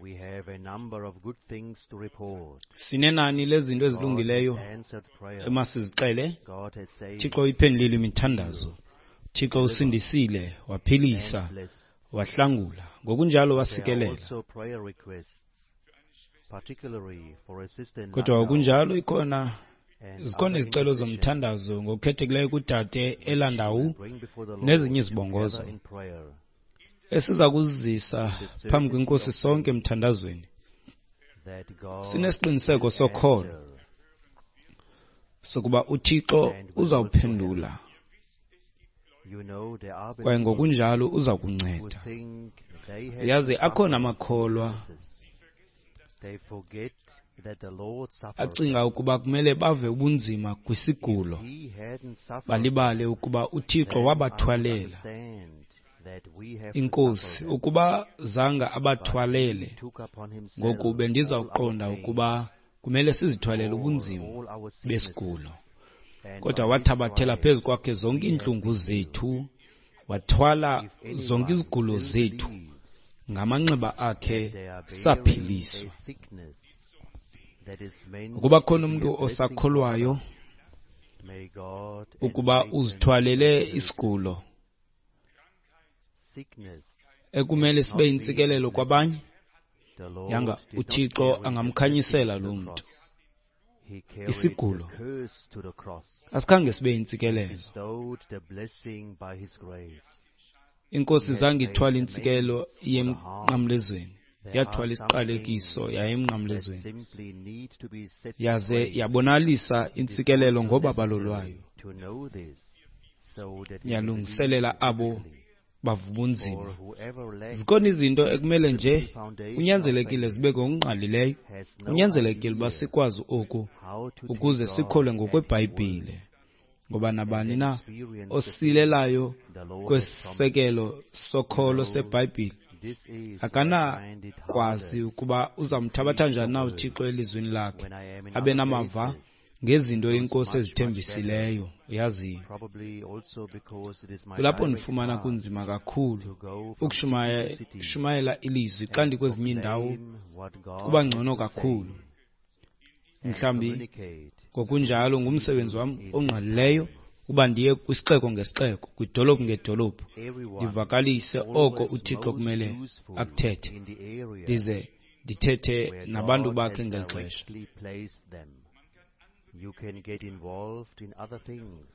We have a number of good things to report. Sinenani lezinto God ezilungileyo has answered prayer. emasizixele. God has saved Thixo uyiphendulile imithandazo. Thixo usindisile, waphilisa, and blessed. wahlangula, ngokunjalo There are wasikelela. also prayer requests, particularly for Assistant Kodwa Landau ngokunjalo ikhona and zikhona other izicelo intercessions zomthandazo ngokukhethekileyo kudade which we elandawu will bring before the Lord nezinye izibongozo together in prayer. esiza kuzizisa The phambi certainty kwenkosi of sonke faith emthandazweni. that God Sinesiqiniseko will sokholo answer sokuba uThixo and will also help. uzawuphendula You know, there are kwaye believers ngokunjalo uza who kunceda. think they have to Yazi akhona suffer amakholwa illnesses. They forget that the Lord suffered. acinga ukuba kumele bave ubunzima If kwisigulo, he hadn't suffered, balibale ukuba uThixo then I would wabathwalela. understand that we have to suffer Inkosi them. ukuba zanga But he abathwalele, took upon ngoku himself all our bendizawuqonda pain, ukuba kumele sizithwalele ubunzima all our besigulo. sicknesses, and Kodwa by his wathabathela phezu stripes kwakhe zonke we have iintlungu been healed. zethu, wathwala If zonke anyone izigulo still zethu, believes ngamanxeba akhe that they are bearing a saphiliswa. sickness that is meant Ukuba khona to be umntu a blessing for osakholwayo others, may God ukuba enlighten uzithwalele his spirit. isigulo Sickness ekumele has sibe not been a yintsikelelo blessing. kwabanye, The Lord yanga did not uThixo carry the blessing angamkhanyisela to the loo mntu. cross. He carried the Isigulo curse to the cross asikhange sibe and yintsikelelo. bestowed the blessing by his grace. Inkosi He has zange made ithwale intsikelelo amends for iye the harm. emnqamlezweni, There are yathwala some isiqalekiso things yaye that emnqamlezweni, simply need to be set yaze straight. yabonalisa It is intsikelelo also ngobabalo necessary lwayo. to know this so that we may believe Yalungiselela abo biblically. bava For ubunzima. whoever lacks Zikhona izinto this ekumele nje biblical foundation of kunyanzelekile faith zibe ngokungqalileyo, has no kunyanzelekile uba idea sikwazi oku how to take ukuze God sikholwe at His word ngokweBhayibhile. Ngoba and nabani na experience the things osilelayo the Lord has promised. kwesisekelo You sokholo know, seBhayibhile this is where I find it akanakwazi hardest ukuba to uzamthabatha preach the njani na word uThixo elizwini lakhe, when I am in abe other namava places. ngezinto It goes inkosi much, much better. ezithembisileyo uyaziyo. Probably also because it is my Kulapho direct ndifumana task kunzima kakhulu to go from city to city ukushumayela ilizwi xa and ndikwezinye iindawo, proclaim what God kuba has ngcono to say kakhulu. and Mhlawumbi communicate ngokunjalo to his ngumsebenzi people wam in this ongqalileyo time. uba ndiye kwisixeko ngesixeko, kwidolophu ngedolophu, Everyone ndivakalise oko always uThixo most kumele useful akuthethe, in the area ndize ndithethe where nabantu God bakhe has ngeli xesha. directly placed them. You can get involved in other things,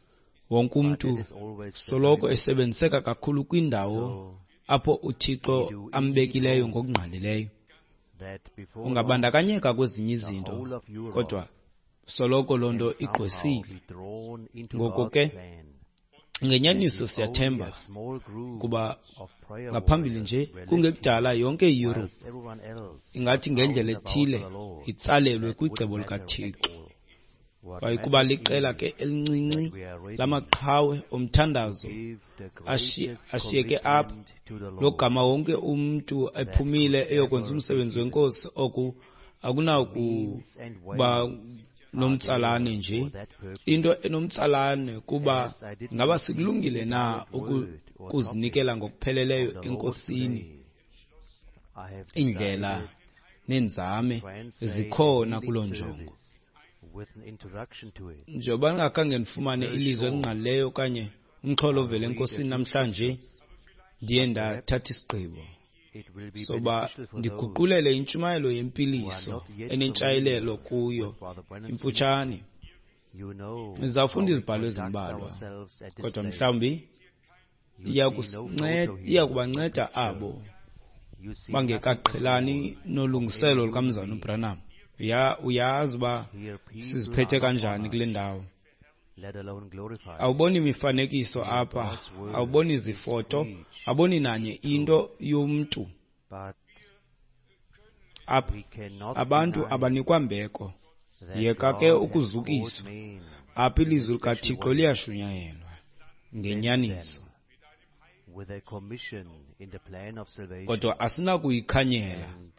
Wonke but umntu that is always the soloko very best. esebenziseka kakhulu kwindawo So apho we uThixo do indeed ambekileyo hope ngokungqalileyo. that before long Ungabandakanyeka kwezinye the izinto, whole of Europe kodwa soloko loo can nto somehow igqwesile. be drawn into Ngoko God's ke plan. And ngenyaniso if only siyathemba a small group ukuba of prayer ngaphambili warriors nje were left kungekudala here, yonke iYurophu whilst everyone else was ingathi out ngendlela and about ethile for the Lord, itsalelwe that kwicebo wouldn't matter at likaThixo. all. What Kwaye kuba matters liqela ke is elincinci that we are ready lamaqhawe to omthandazo give the greatest ashiyeke apha, commitment to the Lord logama wonke umntu that could ephumile eyokwenza ever be umsebenzi given. wenkosi. Oku Means and akunakuba ways are nomtsalane there nje. for that Into purpose. enomtsalane kuba As I did ngaba not see sikulungile any na direct word or topic ukuzinikela ngokupheleleyo of the Lord enkosini. today, I have Iindlela decided neenzame to translate a zikhona healing kuloo njongo. service with an introduction to it. Njengoba ndingakhange It's ndifumane very ilizwi short. elingqalileyo okanye umxholo I'll ovela read a enkosini few namhlanje, scriptures, ndiye but ndathatha perhaps isigqibo it will be soba beneficial for those ndiguqulele intshumayelo who are yempiliso not yet enentshayelelo familiar kuyo with Father Brennan's imfutshane. ministry. You know Ndizawufunda how we izibhalo conduct ezimbalwa, ourselves at this kodwa place. mhlawumbi You see no photo here iya or kubanceda picture. abo You see nothing at bangekaqhelani all of any nolungiselo human lukamzana being. uBranham. Uyazi uba Here people siziphethe are not kanjani kule honored, ndawo. let alone glorified. Awuboni mifanekiso Here apha, God's word awuboni is zifoto, preached awuboni nanye with into truth. yomntu But apha. we cannot Abantu deny abanikwa mbeko, that yeka ke God has called ukuzukiswa. men Apha in a ilizwi special likaThixo way, liyashunyayelwa sent ngenyaniso, them with a commission in the plan of salvation. kodwa asinakuyikhanyela And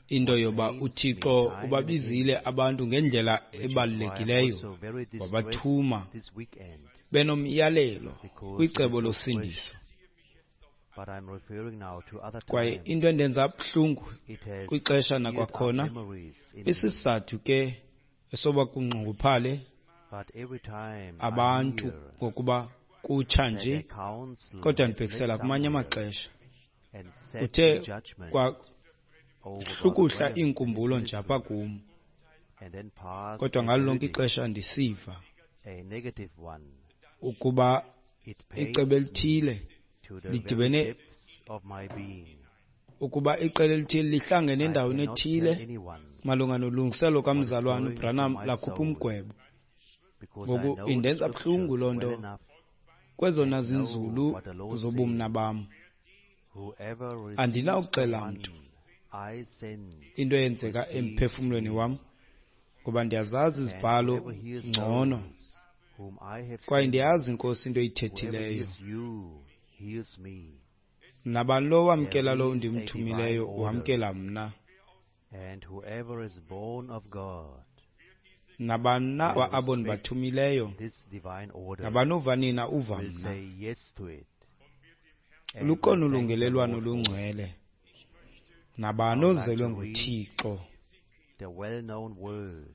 into what yoba pains me uThixo time and ubabizile again, abantu ngendlela which is why I'm ebalulekileyo, also very distressed wabathuma this weekend, benomyalelo because it kwicebo is so losindiso. fresh. But I'm referring now to other Kwaye times. into endenza buhlungu It has kwixesha stirred up nakwakhona, memories in me. isizathu ke esoba kunxunguphale But every time I abantu hear ngokuba kutsha that nje, a council kodwa has met ndibhekisela kumanye somewhere amaxesha, and set uthe a judgment over Brother kwahlukuhla Branham and his iinkumbulo nje ministry, apha kum, and then passed kodwa a ngalo lonke verdict, ixesha ndisiva a negative one, ukuba it pains icebo me elithile to the very lidibene, depths of my being. ukuba iqela elithile lihlangene I endaweni cannot tell ethile anyone malunga nolungiselo what is kamzalwana going through uBranham, my lakhupha soul, umgwebo. because I Ngoku know the indenza buhlungu scriptures loo well nto enough kwezona and know zinzulu what the Lord zobumna says. bam. Whoever receives the Andinawuxela one mntu I send into eyenzeka receives emphefumlweni me, wam, ngoba ndiyazazi and izibhalo whoever hears ngcono, those whom I have kwaye sent, ndiyazi inkosi into whoever eyithethileyo. hears you hears me. Nabani lo There wamkela lowo is a divine ndimthumileyo order, wamkela mna, and whoever is born of God nabani na will abo respect ndibathumileyo, this divine order, nabani ova nina uva will mna. say yes to it, and will Lukhona thank the ulungelelwano Lord for it. olungcwele, nabani I would like ozelwe to read nguThixo the well-known word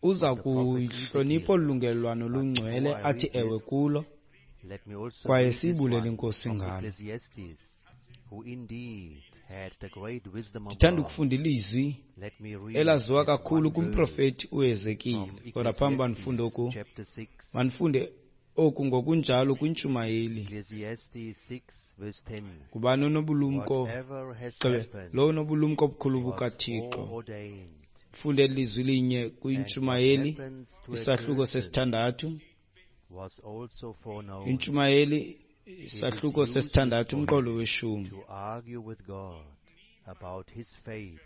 uza of the prophet kuyihlonipha Ezekiel. olu lungelelwano But lungcwele, before I athi read ewe this, kulo, let me also kwaye read this siyibulele one inkosi from ngalo. Ecclesiastes, who indeed had the great wisdom of Ndithanda God. ukufunda ilizwi Let me read elaziwa this one kakhulu verse kumprofethi from uHezekile. Kodwa phambi uba ndifunde Ecclesiastes oku, chapter 6. mandifunde oku ngokunjalo kwintshumayeli. Ecclesiastes 6 verse 10. Ngubani onobulumko? Whatever has Gqibe, happened lo unobulumko obukhulu was bukaThixo. foreordained, Funde ilizwi linye and what kwintshumayeli, happens to a isahluko person sesithandathu. was also foreknown. Intshumayeli, It is isahluko useless sesithandathu, for him umqolo weshumi. to argue with God about his fate,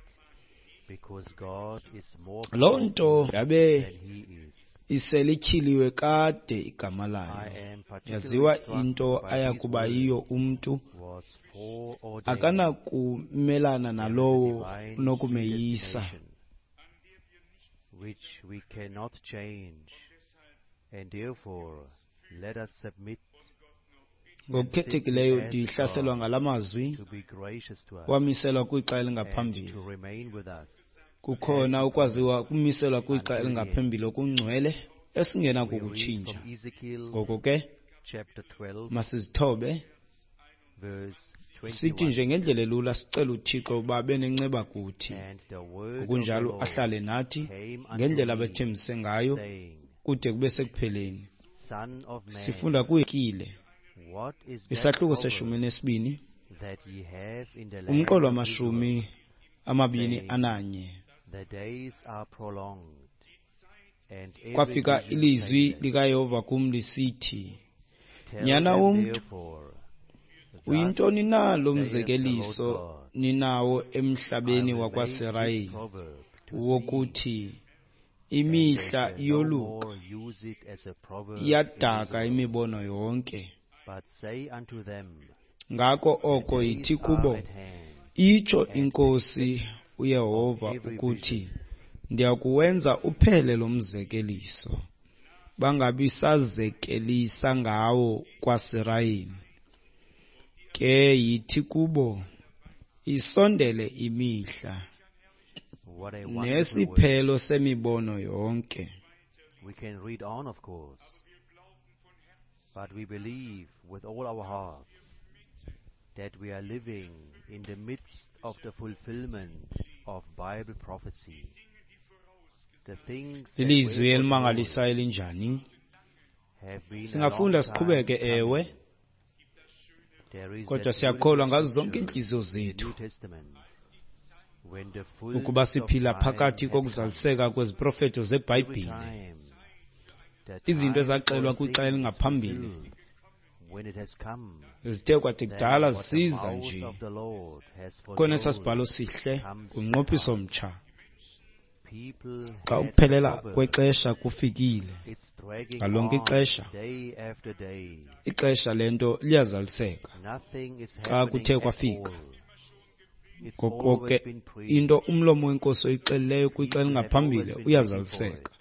because God is more Loo nto powerful yabe than he is. iselityhiliwe kade igama I layo. am particularly Yaziwa struck into by aya these kuba words, yiyo umntu, was foreordained. akanakumelana There is a nalowo divine unokumeyisa. predestination which we cannot change, and therefore let us submit and simply Ngokukhethekileyo ask ndihlaselwa God ngala mazwi to be gracious to us wamiselwa kwixa and elingaphambili. to remain with us as Kukhona he ukwaziwa promised kumiselwa kwixa until the end. elingaphambili okungcwele We read esingenakukutshintsha. from Ezekiel Ngoko ke chapter 12, masizithobe, verse sithi 21. nje ngendlela elula sicele uThixo uba abe nenceba kuthi, And the word of the ngokunjalo Lord ahlale nathi came unto ngendlela me, abethembise ngayo saying, kude kube sekupheleni. Son of man, Sifunda kuHezekile what is that isahluko proverb seshumi nesibini, that ye have in the land umqolo of Israel, wamashumi amabini saying, ananye. The days are prolonged, and every Kwafika vision ilizwi faileth. likaYehova kum lisithi, Tell Nyana them womntu, therefore, thus uyintoni na lo saith the Lord mzekeliso God, ninawo I emhlabeni will make this wakwaSirayeli proverb to cease, wokuthi and they imihla shall no iyoluka, more use it as a proverb in iyadaka Israel. imibono yonke? But say unto them, Ngako The oko days yithi are kubo, at hand, itsho and the inkosi effect of uYehova every ukuthi, vision. ndiyakuwenza uphele lo mzekeliso, bangabi sazekelisa ngawo kwaSirayeli. Ke yithi kubo, isondele imihla What a wonderful word. nesiphelo semibono yonke. We can read on, of course, but we believe with all our hearts that we are living in the midst of the fulfillment of Bible prophecy. The things that were Lilizwi foretold elimangalisayo elinjani! have been a long Singafunda time siqhubeke, ewe, coming. There is kodwa that siyakholwa beautiful ngazo zonke scripture iintliziyo in the zethu New Testament when the ukuba fullness of siphila time phakathi had come. kokuzaliseka kweziprofeto Every zeBhayibhile, time the izinto time for ezaxelwa a kwixa thing is elingaphambili fulfilled, when it has come, zithe kwade then kudala what the ziza mouth nje. of the Lord has Kukhona esaa foretold sibhalo sihle comes to kumnqophiso pass. mtsha, People xa had a ukuphelela proverb. kwexesha kufikile, It's dragging ngalonke on ixesha day after day. ixesha lento liyazaliseka Nothing is xa happening kuthe at kwafika. all. It's Ngoko always ke been preached. into umlomo wenkosi oyixelileyo kwixa People have always elingaphambili been waiting for it, uyazaliseka.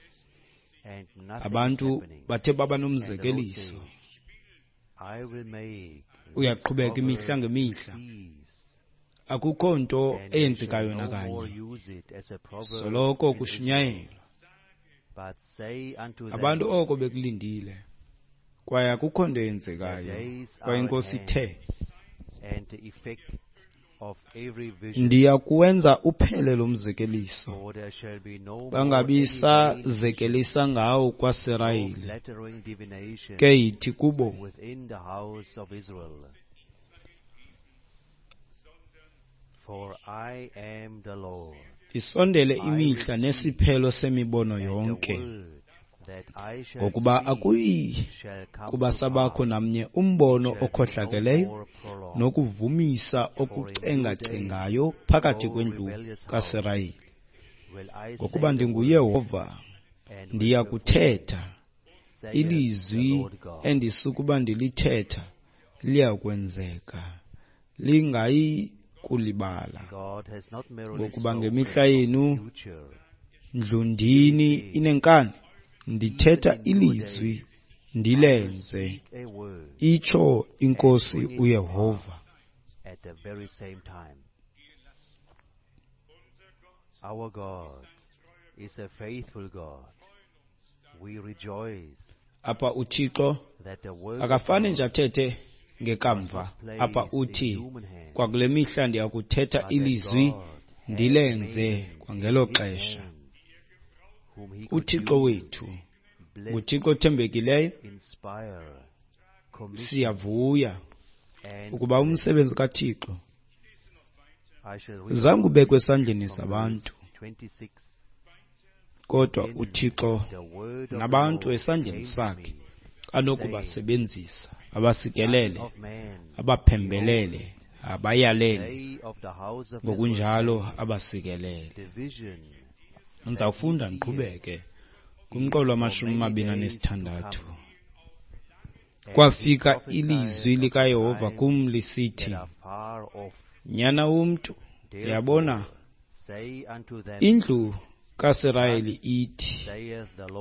and nothing is Abantu happening. bathe baba And the Lord nomzekeliso. says, I will make Uyaqhubeka imihla ngemihla. Akukho nto eyenzekayo nakanye. Soloko kushunyayelwa. Abantu oko bekulindile, kwaye akukho nto eyenzekayo. Kwaye iNkosi ithe, ndiya kuwenza uphele lo mzekeliso, bangabi sazekelisa ngawo kwaSirayeli. Ke yithi kubo, isondele imihla nesiphelo semibono yonke, ngokuba akuyi kuba sabakho namnye umbono okhohlakeleyo nokuvumisa okucengacengayo phakathi kwendlu kaSirayeli. Ngokuba ndinguYehova, ndiya kuthetha ilizwi endisukuba ndilithetha liyakwenzeka, lingayi kulibala. Ngokuba ngemihla yenu, ndlundini inenkani, ndithetha ilizwi ndilenze, itsho iNkosi uYehova. Apha uThixo akafani nje athethe ngekamva. Apha uthi, kwakule mihla ndiya kuthetha ilizwi ndilenze kwangelo xesha. uThixo wethu nguThixo othembekileyo. Siyavuya ukuba umsebenzi kaThixo zange ubekwe esandleni sabantu, kodwa uThixo nabantu esandleni sakhe anokubasebenzisa, abasikelele, abaphembelele, abayalele, ngokunjalo abasikelele. Ndizawufunda ndiqhubeke kumqolo wama-26. Kwafika ilizwi likaYehova kum lisithi, Nyana womntu, yabona, indlu kaSirayeli ithi,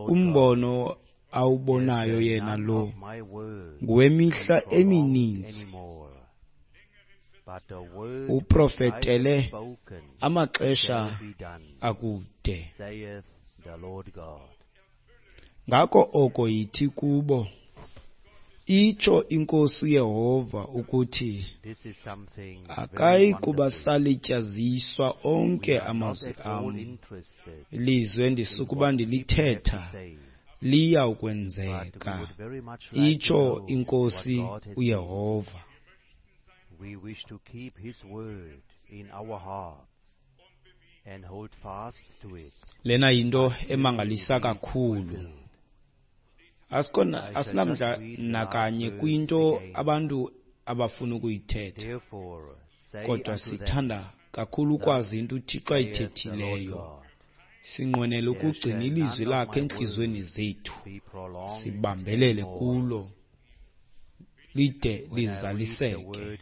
umbono awubonayo yena lo ngowemihla emininzi, uprofetele amaxesha akude. Ngako oko yithi kubo, itsho iNkosi uYehova ukuthi, akayi kuba salityaziswa onke amazwi am. Ilizwi endisukuba ndilithetha liya ukwenzeka, itsho iNkosi uYehova. We wish to keep his word in our hearts and hold fast to it. Lena yinto emangalisa kakhulu. Asinamdla nakanye kwinto abantu abafuna ukuyithetha, kodwa sithanda kakhulu ukwazi into uThixo ayithethileyo. Sinqwenela ukugcina ilizwi lakhe entliziyweni zethu, sibambelele kulo lide lizaliseke.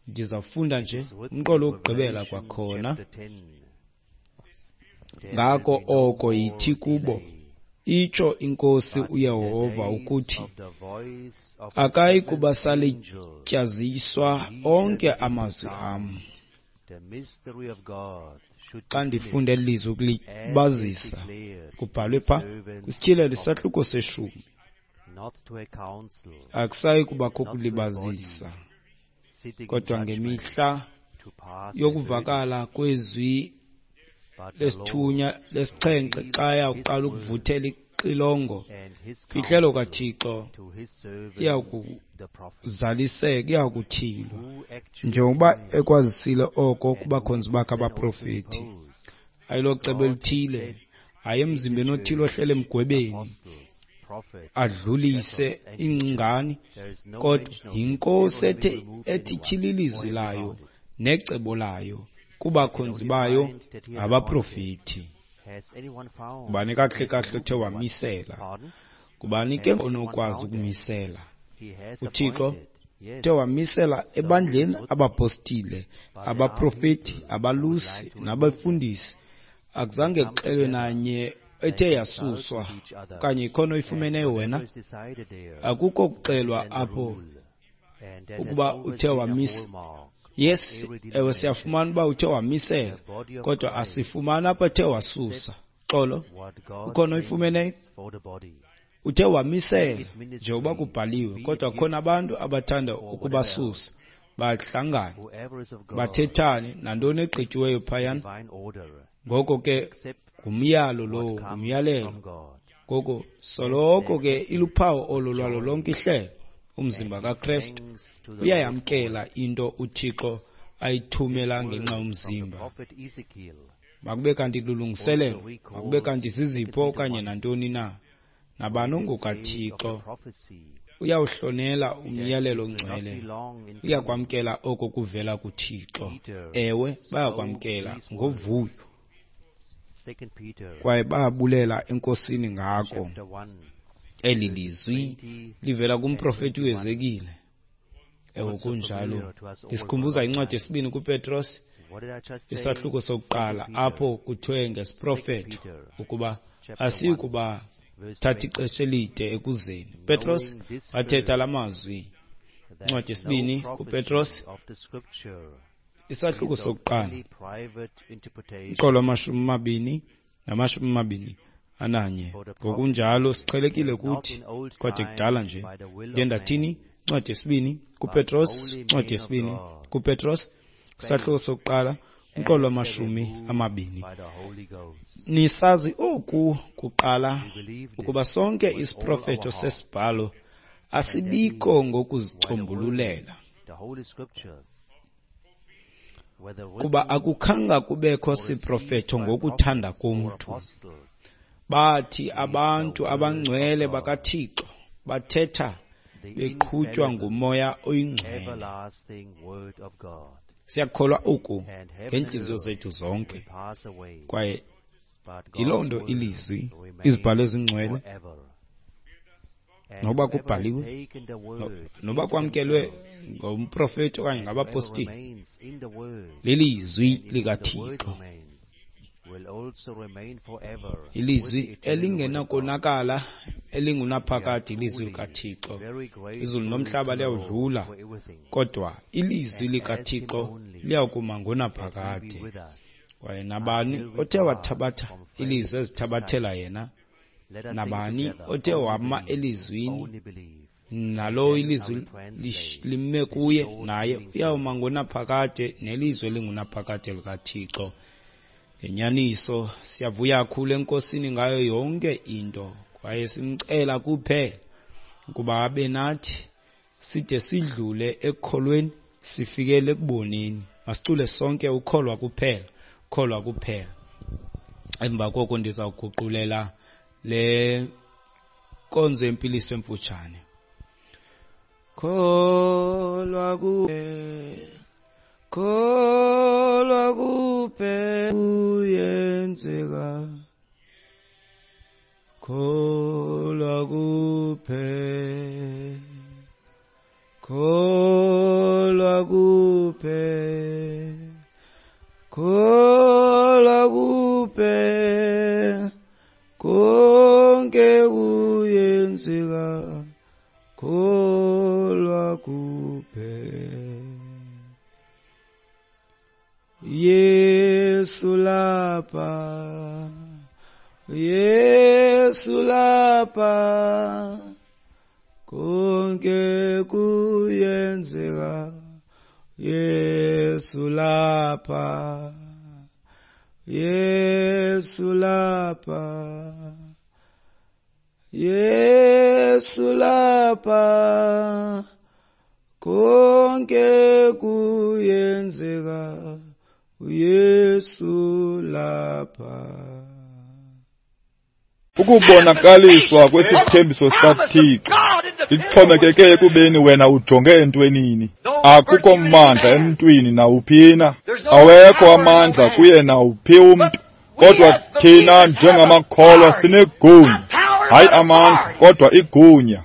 Ndizawufunda nje umqolo wokugqibela kwakhona. Ngako oko yithi kubo, itsho iNkosi uYehova ukuthi, akayi kuba salityaziswa onke amazwi am. Xa ndifunda eli lizwi ukulibazisa, kubhalwe pha kwiSityhilelo isahluko seshumi, akusayi kubakho kulibazisa, kodwa ngemihla yokuvakala kwezwi lesithunya lesixhenxe, xa yawuqala ukuvuthela ixilongo, imfihlelo kaThixo iyakuzaliseka, iyakutyhilwa, njengokuba ekwazisile oko kubakhonzi bakhe abaprofeti. Ayilocebo elithile, hayi emzimbeni othile ohlele emgwebeni adlulise ingcingane, kodwa yinkosi ethi ityhila ilizwi layo necebo layo kubakhonzi bayo abaprofeti. Ngubani kakuhle kahle othe wamisela? Ngubani ke onokwazi ukumisela? uThixo uthe wamisela ebandleni abapostile, abaprofeti, abalusi nabafundisi. Akuzange kuxelwe nanye ethe yasuswa okanye ikhona oyifumeneyo wena. Akukho kuxelwa apho Ukuba uthe wamisa, yes, ewe siyafumana uba uthe wamisela, kodwa asifumana apha ethe wasusa. Xolo, ukhona oyifumeneyo? Uthe wamisela njengoba kubhaliwe, kodwa khona abantu abathanda ukubasusa, bahlangane, bathethane nantoni egqityiweyo phayana. Ngoko ke ngumyalo lowo, ngumyalelo. Ngoko soloko ke iluphawu olo lwalo lonke ihlelo. Umzimba kaKrestu uyayamkela into uThixo ayithumela ngenxa yomzimba. Makube kanti lulungiselelo, makube kanti zizipho okanye nantoni na. Nabani ongokaThixo uyawuhlonela umyalelo ongcwele, uyakwamkela oko kuvela kuThixo. Ewe, bayakwamkela ngovuyo kwaye bayabulela eNkosini ngako. Eli lizwi livela kumprofeti uHezekile. Ewe, kunjalo. Lisikhumbuza incwadi yesibini kuPetros, isahluko sokuqala, apho kuthiwe ngesiprofeto ukuba asiyi kuba thatha ixesha elide ekuzeni. Petros wathetha la mazwi. Incwadi yesibini kuPetros, isahluko sokuqala, umqolo wama-21. Ngokunjalo siqhelekile kuthi, kodwa kudala nje. Ndiye ndathini? Incwadi yesibini kuPetros, incwadi yesibini kuPetros, isahluko sokuqala, umqolo wama-20. Nisazi oku kuqala, ukuba sonke isiprofeto sesibhalo asibikho ngokuzicombululela, kuba akukhanga kubekho siprofeto ngokuthanda komntu. Bathi abantu abangcwele bakaThixo bathetha beqhutywa nguMoya oyiNgcwele. Siyakholwa oku ngeentliziyo zethu zonke, kwaye yiloo nto ilizwi, izibhalo ezingcwele, noba kubhaliwe, noba kwamkelwe ngumprofeti okanye ngabapostile, lilizwi likaThixo, ilizwi elingenakonakala, elingunaphakade, ilizwi likaThixo. Izulu nomhlaba liyawudlula, kodwa ilizwi likaThixo liyawukuma ngonaphakade. Kwaye nabani othe wathabatha ilizwi ezithabathela yena, nabani othe wama elizwini, nalowo ilizwi lime kuye, naye uyawuma ngonaphakade nelizwi elingunaphakade likaThixo. Ngenyaniso siyavuya kakhulu eNkosini ngayo yonke into, kwaye simcela kuphela ukuba abe nathi side sidlule ekukholweni sifikele ekuboneni. Masicule sonke ukholwa kuphela, kholwa kuphela. Emva koko ndizawuguqulela le nkonzo yempiliso emfutshane. Kholwa kuphela, kholwa kuphela, kuyenzeka. Kholwa kuphela, kholwa kuphela, kholwa kuphela, konke kuyenzeka. Kholwa kuphela. Yesu lapha, Yesu lapha, konke kuyenzeka. Yesu lapha, Yesu lapha, Yesu lapha, konke kuyenzeka. Yesu lapha. Ukubonakaliswa kwesithembiso sikaThixo ixhomekeke ekubeni wena ujonge entwenini. Akukho mandla emntwini nawuphina, awekho amandla kuye nawuphi umntu, kodwa thina njengamakholwa sinegunya. Hayi amandla, kodwa igunya.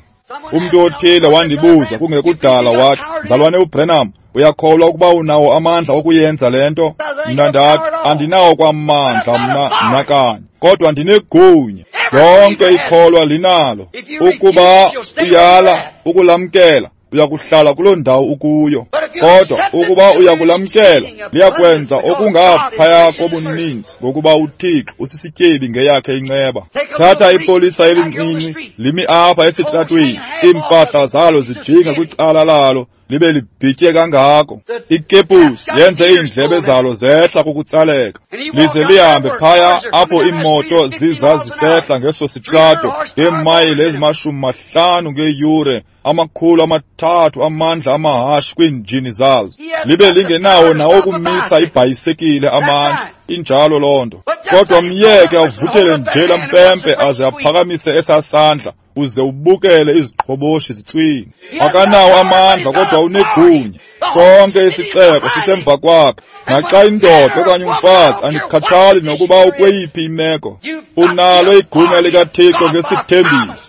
Umntu othile wandibuza kungekudala wathi, mzalwane uBrenham, uyakholwa ukuba unawo amandla okuyenza le nto? Mna ndathi, andinawo kwamandla mna kanye, kodwa ndinegunya. Lonke ikholwa linalo. Ukuba uyala ukulamkela, Uyakuhlala kuloo ndawo ukuyo. Kodwa ukuba uyakulamkela, liyakwenza okungaphaya kobuninzi, ngokuba uThixo usisityebi ngeyakhe inceba. Thatha ipolisa elincinci limi apha esitratweni, iimpahla zalo zijinga kwicala lalo, libe libhitye kangako. Ikepusi yenze iindlebe zalo zehla kukutsaleka, lize lihambe phaya apho iimoto ziza zisehla ngeso sitrato ngeemayile ezima-50 ngeyure, 300 amandla amahashi kwiinjini zazo, libe lingenawo nawokumisa ibhayisekile amandla. Injalo loo nto. Kodwa myeke avuthele nje la mpempe aze aphakamise esaa sandla, uze ubukele iziqhoboshi zitswinga. Akanawo amandla, kodwa unegunya. Sonke isixeko sisemva kwakhe. Naxa indoda okanye umfazi, andikhathali nokuba ukweyiphi imeko, unalo igunya likaThixo ngesithembiso,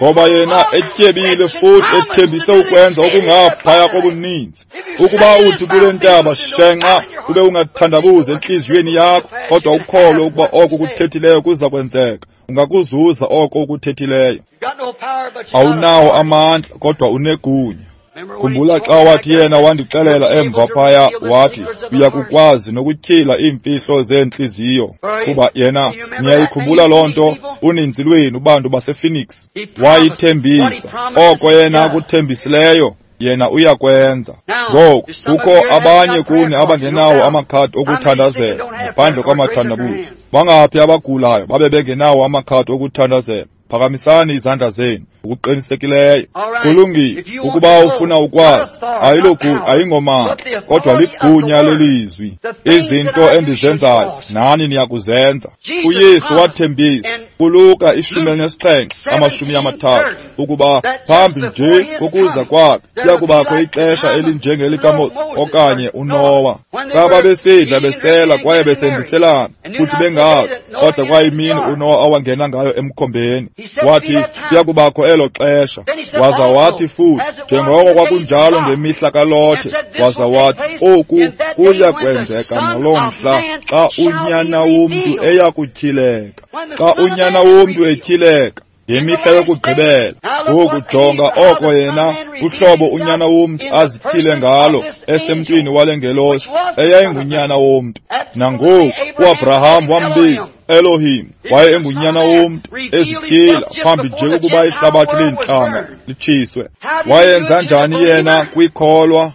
ngoba yena etyebile futhi ethembise ukwenza okungaphaya kobuninzi. Ukuba uthi kule ntaba, shenxa, ube ungathandabuzi entliziyweni yakho, kodwa ukholwe ukuba oko kuthethileyo kuza kwenzeka, ungakuzuza oko ukuthethileyo. Awunawo amandla, kodwa unegunya. Khumbula xa wathi yena wandixelela emva phaya, wathi uyakukwazi nokutyhila iimfihlo zeentliziyo, kuba yena, niyayikhumbula loo nto, uninzi lwenu bantu basePhoenix, wayithembisa. Oko yena akuthembisileyo, yena uyakwenza. Ngoku kukho abanye kuni abangenawo amakhadi okuthandazela, ngaphandle kwamathandabuzo. Bangaphi abagulayo babe bengenawo amakhadi okuthandazela? Phakamisani izandla zenu ukuqinisekileyo. Kulungile. Ukuba ufuna ukwazi, ayilogunya, ayingomandla, kodwa ligunya lelizwi. Izinto endizenzayo nani niyakuzenza. uYesu wathembisa kuLuka 17:30 ukuba phambi nje kokuza kwakhe kuyakubakho ixesha elinjengelikaMoses okanye uNowa, xa babesidla besela kwaye besendiselana futhi bengazi, kodwa kwayimini uNowa awangena ngayo emkhombeni. Wathi kuyakubakho elo xesha. Waza wathi futhi, njengoko kwakunjalo ngemihla kaLothe, waza wathi oku kuya kwenzeka ngaloo mhla xa uNyana womntu eya kutyhileka. Xa uNyana womntu etyhileka ngemihla yokugqibela. Ngoku jonga oko yena uhlobo uNyana womntu azityhile ngalo esemntwini wale ngelosi eyayinguNyana womntu. Nangoku uAbraham wambiza Elohim, waye engunyana womntu ezityhila phambi nje kokuba ihlabathi leentlanga litshiswe. Wayenza njani yena kwikholwa?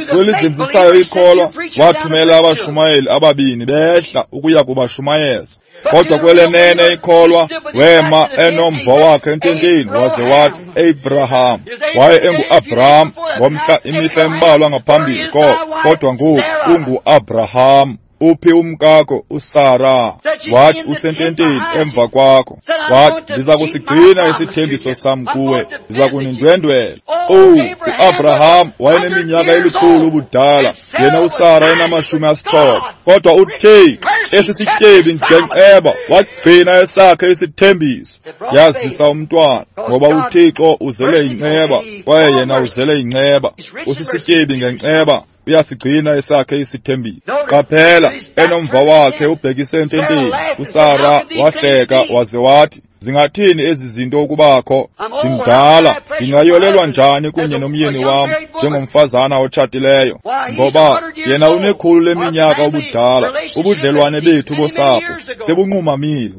Kwelizinzisayo ikholwa, wathumela abashumayeli ababini behla ukuya kubashumayeza. Kodwa kwelenene ikholwa, wema enomva wakhe ententeni, waze wathi Abraham. Waye engu-Abraham ngomhla imihla embalwa ngaphambili koko, kodwa ngoku ungu-Abraham. Uphi umkakho uSara? Wathi usententeni emva kwakho. Wathi ndiza kusigcina isithembiso sam kuwe, ndiza kunindwendwela. Owu, uAbraham wayeneminyaka elikhulu ubudala, yena uSara enama-90. Kodwa uThixo esisityebi ngenceba wagcina esakhe isithembiso, yazisa umntwana, ngoba uThixo uzele inceba, kwaye yena uzele inceba. Usisityebi ngenceba, uyasigcina esakhe isithembiso. Qaphela, enomva wakhe ubhekise ententeni, uSara wahleka waze wathi, zingathini ezi zinto ukubakho? Ndimdala, ndingayolelwa njani kunye nomyeni wam njengomfazana otshatileyo? Ngoba yena unekhulu leminyaka ubudala, ubudlelwane bethu bosapho sebunqumamile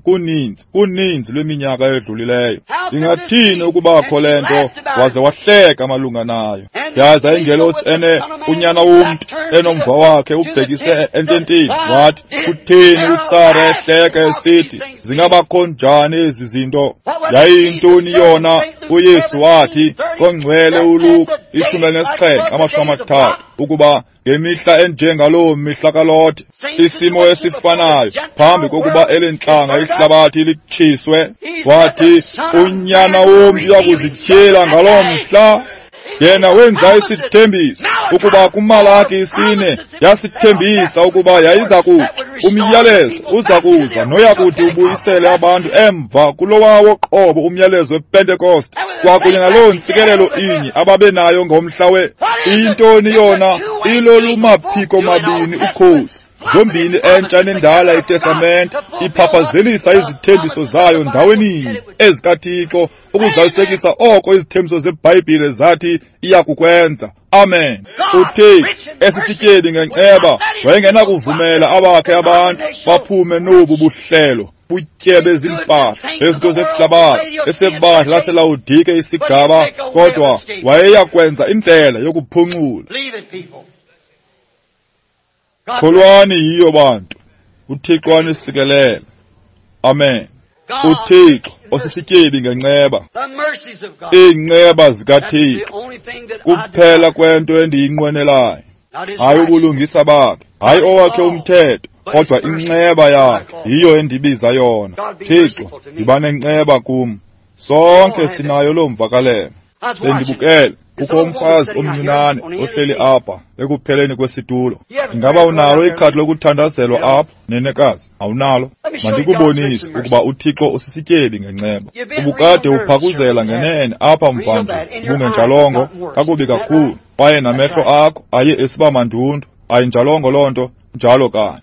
kuninzi lweminyaka edlulileyo. Ndingathini ukubakho le nto? Waze wahleka malunga nayo. Yaza ingelosi ene unyana womntu enomva wakhe ubhekise ententeni, wathi, kutheni uSara ehleka esithi zingabakho njani ezi zinto? Yayiyintoni yona? uYesu wathi kongcwele uLuka 17:30 ukuba ngemihla enjengaloo mihla kaLothe, isimo esifanayo phambi kokuba elentlanga ihlabathi litshiswe, wathi uNyana womntu uyakuzityhila ngaloo mhla. Yena wenza isithembiso ukuba kuMalaki 4 yasithembisa ukuba yayiza kuthi umyalezo uza kuza noyakuthi ubuyisele abantu emva kulowawo qobo umyalezo wePentekoste, kwakunye naloo ntsikelelo inye ababenayo ngomhla we. Iyintoni yona? Ilolumaphiko mabini ukhosi. Zombini entsha nendala iTestamente iphaphazelisa izithembiso zayo ndaweninye ezikaThixo ukuzalisekisa oko izithembiso zeBhayibhile zathi iyakukwenza. Amen. UThixo esisityebi ngenceba wayengenakuvumela abakhe abantu baphume nobu buhlelo butyebe zimpahla ezinto zehlabathi esebandla laseLawodike isigaba, kodwa wayeyakwenza indlela yokuphuncula. Kholwani yiyo bantu. UThixo anisikelele. Amen. UThixo osisityebi ngenceba, iinceba zikaThixo kuphela kwento endiyinqwenelayo. Hayi ubulungisa bakhe, hayi owakhe umthetho, kodwa inceba yakhe yiyo endibiza yona. Thixo, yiba nenceba kum. Sonke sinayo loo mvakalelo. Bendibukele kukho umfazi omncinane ohleli apha ekupheleni kwesitulo. Ingaba unalo ikhadi lokuthandazelwa apha, nenekazi? Awunalo? Mandikubonise ukuba uThixo usisityebi ngenceba. Ubukade uphakuzela ngenene apha mvanje, ubungenjalongo kakubi kakhulu, kwaye namehlo akho aye esiba mandundu. Ayinjalongo loo nto, njalo kanye.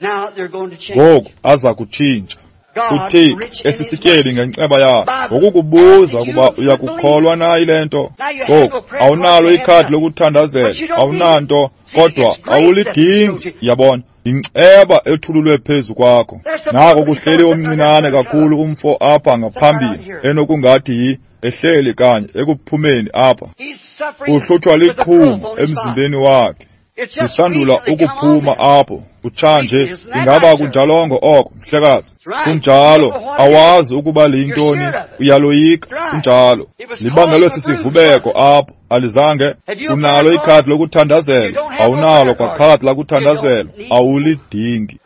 Ngoku aza kutshintsha. UThixo esisityebi ngenceba yakhe ngokukubuza ukuba uyakukholwa na yile nto. Ngoku awunalo ikhadi lokuthandazela, awunanto, kodwa awulidingi. Yabona, yinceba ethululwe phezu kwakho. Nako kuhleli omncinane kakhulu umfo apha ngaphambili enokungathi yi ehleli kanye ekuphumeni apha. Uhlutshwa liqhumo emzimbeni wakhe. Lisandula ukuphuma apho kutshanje. Ingaba kunjalongo oko, mhlekazi? Kunjalo. Awazi ukuba liyintoni, uyaloyika. Kunjalo. Libangelwe sisivubeko apho, alizange. Unalo ikhadi lokuthandazela? Awunalo kwakhadi lakuthandazela, awulidingi.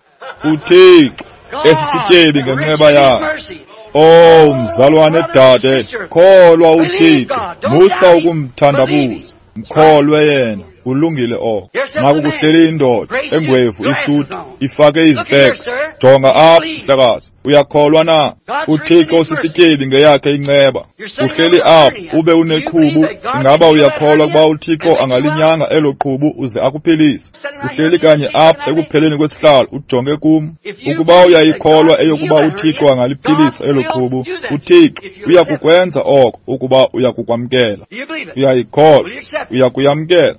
UThixo esisityebi ngenceba yakhe. Oh, mzalwane dade, kholwa uThixo, musa ukumthandabuza, mkholwe yena. Kulungile oko. Naku kuhleli indoda engwevu isuti ifake izipeks. Jonga apha, mhlekazi, uyakholwa na? UThixo usisityebi ngeyakhe inceba. Uhleli apha ube uneqhubu. Ingaba uyakholwa ukuba uThixo angalinyanga elo qhubu uze akuphilise? Uhleli kanye apha ekupheleni kwesihlalo ujonge kum. Ukuba uyayikholwa eyokuba uThixo angaliphilisa elo qhubu, uThixo uyakukwenza oko ukuba uyakukwamkela. Uyayikholwa, uyakuyamkela.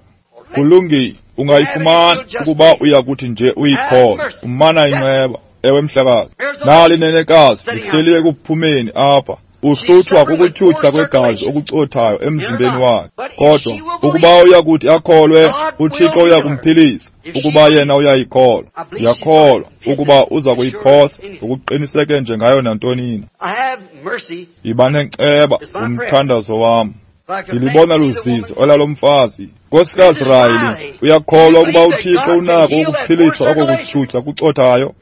Kulungile, ungayifumana ukuba uyakuthi nje uyikholwe. Umana inceba. Ewe mhlekazi. Nali nenekazi lihleli ekuphumeni apha. Uhlutshwa kukutyhutyha kwegazi okucothayo emzimbeni wakhe. Kodwa ukuba uyakuthi akholwe, uThixo uyakumphilisa. Ukuba yena uyayikholwa, uyakholwa ukuba uza kuyiphosa ngokuqiniseke nje ngayo nantonina. Yiba nenceba, umthandazo wam. Ndilibona luzizi olalo mfazi. Nkosikazi Riley, uyakholwa ukuba uThixo unako ukuphilisa oko kutyhutyha kucothayo?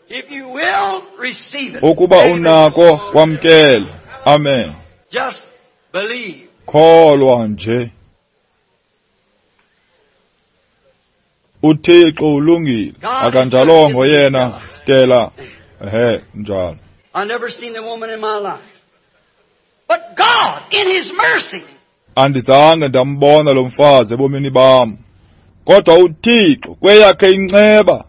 Ukuba unako, kwamkele. Amen. Kholwa nje. UThixo ulungile. Akanjalongo yena, Stella. Ehe, njalo. Andizange ndambona lo mfazi ebomini bam, kodwa uThixo kweyakhe inceba.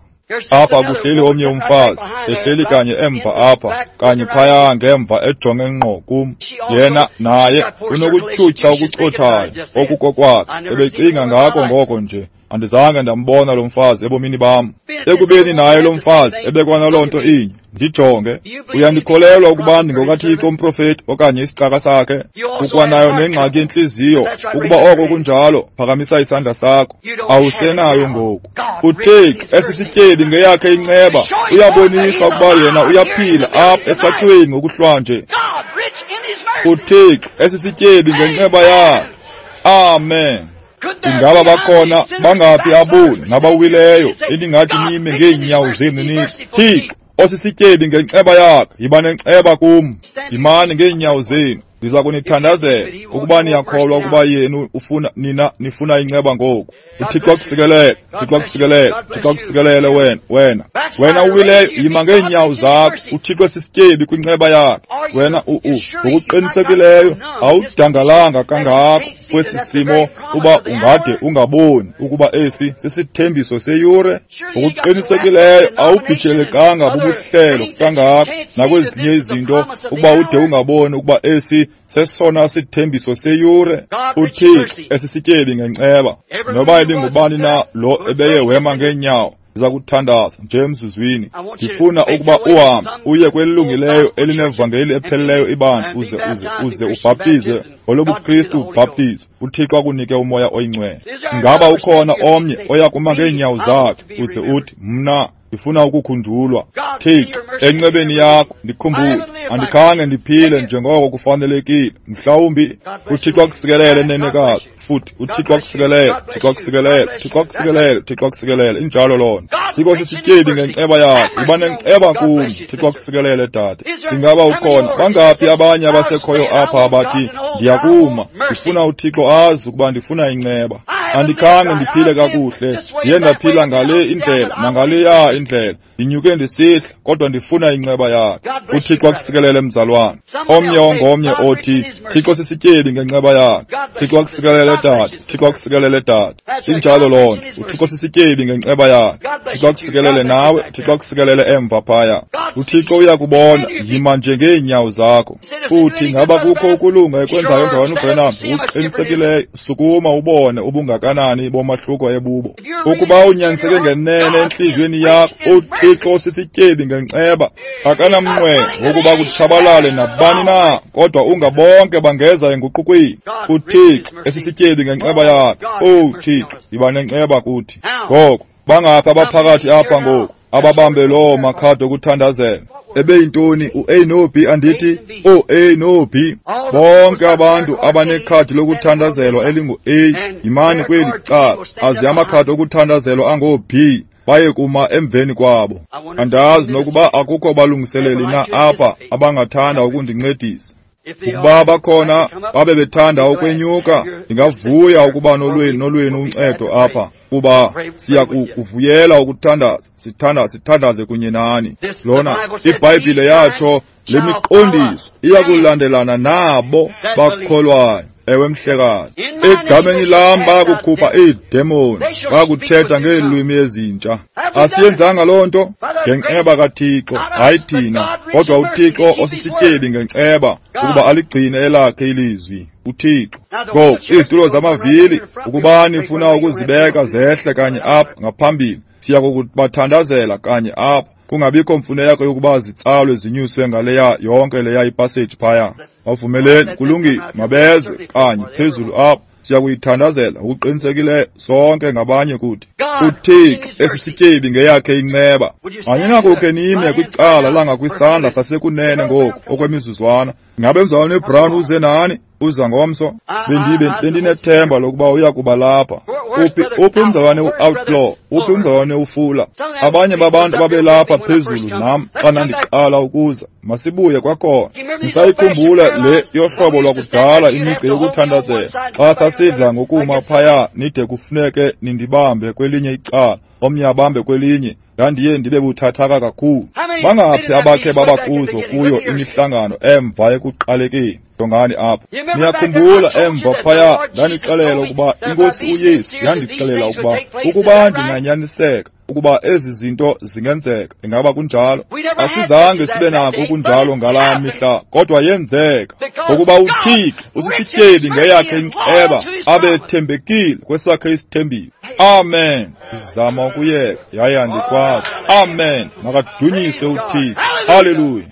Apha kuhleli omnye umfazi ehleli kanye emva apha, kanye phaya ngemva ejonge ngqo kum. Yena naye unokutyhutyha okucothayo okukokwakhe, ebecinga ngako ngoko nje. Andizange ndambona lo mfazi ebomini bam. Ekubeni naye lo mfazi ebekwanaloo nto inye, ndijonge. Uyandikholelwa ukuba ndingokaThixo umprofeti okanye isicaka sakhe? Ukwanayo nengxaki yentliziyo. Ukuba oko kunjalo, phakamisa isandla sakho. Awusenayo ngoku. UThixo esisityebi ngeyakhe inceba uyabonisa ukuba yena uyaphila apha esakhiweni ngokuhlwanje. UThixo esisityebi ngenceba yakhe. Amen. Ingaba bakhona bangaphi aboni nabawileyo eningathi nime ngeenyawo zenu nithi, Thixo osisityebi ngenceba yakhe, yiba nenceba kum. Yimani ngeenyawo zenu. Ndiza kunithandazela ukuba niyakholwa ukuba yenu ufuna nina nifuna inceba ngoku. UThixo akusikelele, uThixo akusikelele, uThixo akusikelele wena. Wena uwileyo, yima ngeenyawo zakho. UThixo sisityebi kwinceba yakhe. Wena ngokuqinisekileyo awudangalanga kangako kwesi simo uba ungade ungaboni ukuba esi sisithembiso seyure. Ngokuqinisekileyo awubhijelekanga bubuhlelo kangako nakwezinye izinto ukuba ude ungaboni ukuba esi sesona sithembiso seyure. UThixo esisityebi ngenceba. Noba ibingubani na lo ebeye wema ngeenyawo, ndiza kuthandaza nje emzuzwini. Ndifuna ukuba uhambe uye kwelilungileyo elinevangeli epheleleyo ibandla, uze ubhaptizwe ngolobuKristu ubhaptizo. uThixo akunike uMoya oyiNgcwele. Ingaba ukhona omnye oya kuma ngeenyawo zakhe uze uthi, mna ndifuna ukukhunjulwa. Thixo, encebeni yakho ndikhumbule. Andikhange ndiphile njengoko kufanelekile. Mhlawumbi uThixo akusikelele nenekazi. Futhi uThixo akusikelele, uThixo akusikelele, uThixo akusikelele, uThixo akusikelele. Injalo loo nto. Thixo sisityebi ngenceba yakhe. Uba nenceba kum. Thixo akusikelele, dade. Ingaba ukhona? Bangaphi abanye abasekhoyo apha abathi, ndiyakuma, ndifuna uThixo azi ukuba ndifuna inceba. Andikhange ndiphile kakuhle. Ndiye ndaphila ngale indlela nangaleya indlela. Ndinyuke ndisihla, kodwa ndifuna inceba yakhe. uThixo akusikelele, mzalwane. Omnye ongomnye othi, Thixo sisityebi ngenceba yakhe. Thixo akusikelele, dade. Thixo akusikelele, dade. Injalo loo nto. uThixo sisityebi ngenceba yakhe. Thixo akusikelele nawe. Thixo akusikelele emva phaya. uThixo uyakubona. Yima nje ngeenyawo zakho. Futhi ngaba kukho ukulunga ekwenzayo mzalwane uBrenham? Uqinisekileyo. Sukuma ubone ubungakanani bomahluko ebubo. Ukuba unyaniseke ngenene entliziyweni yakho, uThixo sisityebi ngenceba. Akanamnqweno wokuba kutshabalale nabani na, kodwa ungabonke bangeza enguqukweni. uThixo esisityebi ngenceba yakhe. UThixo yiba nenceba kuthi. Ngoku bangaphi abaphakathi apha ngoku ababambe loo makhadi okuthandazela? Ebeyintoni u-A no-B? Andithi o-A no-B. Bonke abantu abanekhadi lokuthandazelwa elingu-A yimani kweli cala, aze amakhadi okuthandazelwa angoo-B baye kuma emveni kwabo. Andazi nokuba akukho balungiseleli na apha abangathanda ukundincedisa. Ukuba bakhona babe bethanda ukwenyuka, ndingavuya ukuba nolwenu uncedo apha, kuba siya kuvuyela ukuthandaza, sithandaze kunye nani. Lona iBhayibhile yatsho, le miqondiso iyakulandelana nabo bakholwayo. Ewe mhlekazi, egameni lam bayakukhupha iidemoni, bayakuthetha ngeelwimi ezintsha. Asiyenzanga loo nto ngenceba kaThixo, hayi thina, kodwa uThixo osisityebi ngenceba ukuba aligcine elakhe ilizwi. uThixo. Ngoku izitulo zamavili, ukuba nifuna ukuzibeka zehle kanye apha ngaphambili, siya kubathandazela kanye apha. Kungabikho mfuneko yokuba zitsalwe zinyuswe ngaleya yonke leya ipaseji phaya. Bavumeleni, kulungile, mabeze kanye phezulu apha. Siya kuyithandazela ngokuqinisekileyo sonke ngabanye kuthi. uThixo esisityebi ngeyakhe inceba. Aninakukhe nime kwicala langakwisandla sasekunene ngoku okwemizuzwana. Ingabe mzalwane uBrown uze nani? Uza ngomso? Bendinethemba lokuba uya kuba lapha. Uphi umzalwane u-Outlaw? Uphi umzalwane uFula? Abanye babantu ababelapha phezulu nam xa ndandiqala ukuza. Masibuye kwakhona. Ndisayikhumbula le yohlobo lwakudala imigca yokuthandazela. Xa sasidla ngokuma phaya nide kufuneke nindibambe kwelinye icala, omnye abambe kwelinye, ndandiye ndibe buthathaka kakhulu. Bangaphi abakhe babakuzo kuyo imihlangano emva ekuqalekeni? Jongani apha. Niyakhumbula emva phaya ndandixelela ukuba iNkosi uYesu yandixelela ukuba ukuba ndinganyaniseka ukuba ezi zinto zingenzeka. Ingaba kunjalo? Asizange sibe nako okunjalo ngalaa mihla, kodwa yenzeka. Ngokuba uThixo usisityebi ngeyakhe inceba, abethembekile kwesakhe isithembiso. Amen. Ndizama ukuyeka yaye andikwazi. Amen. Makadunyiswe uThixo. Haleluya.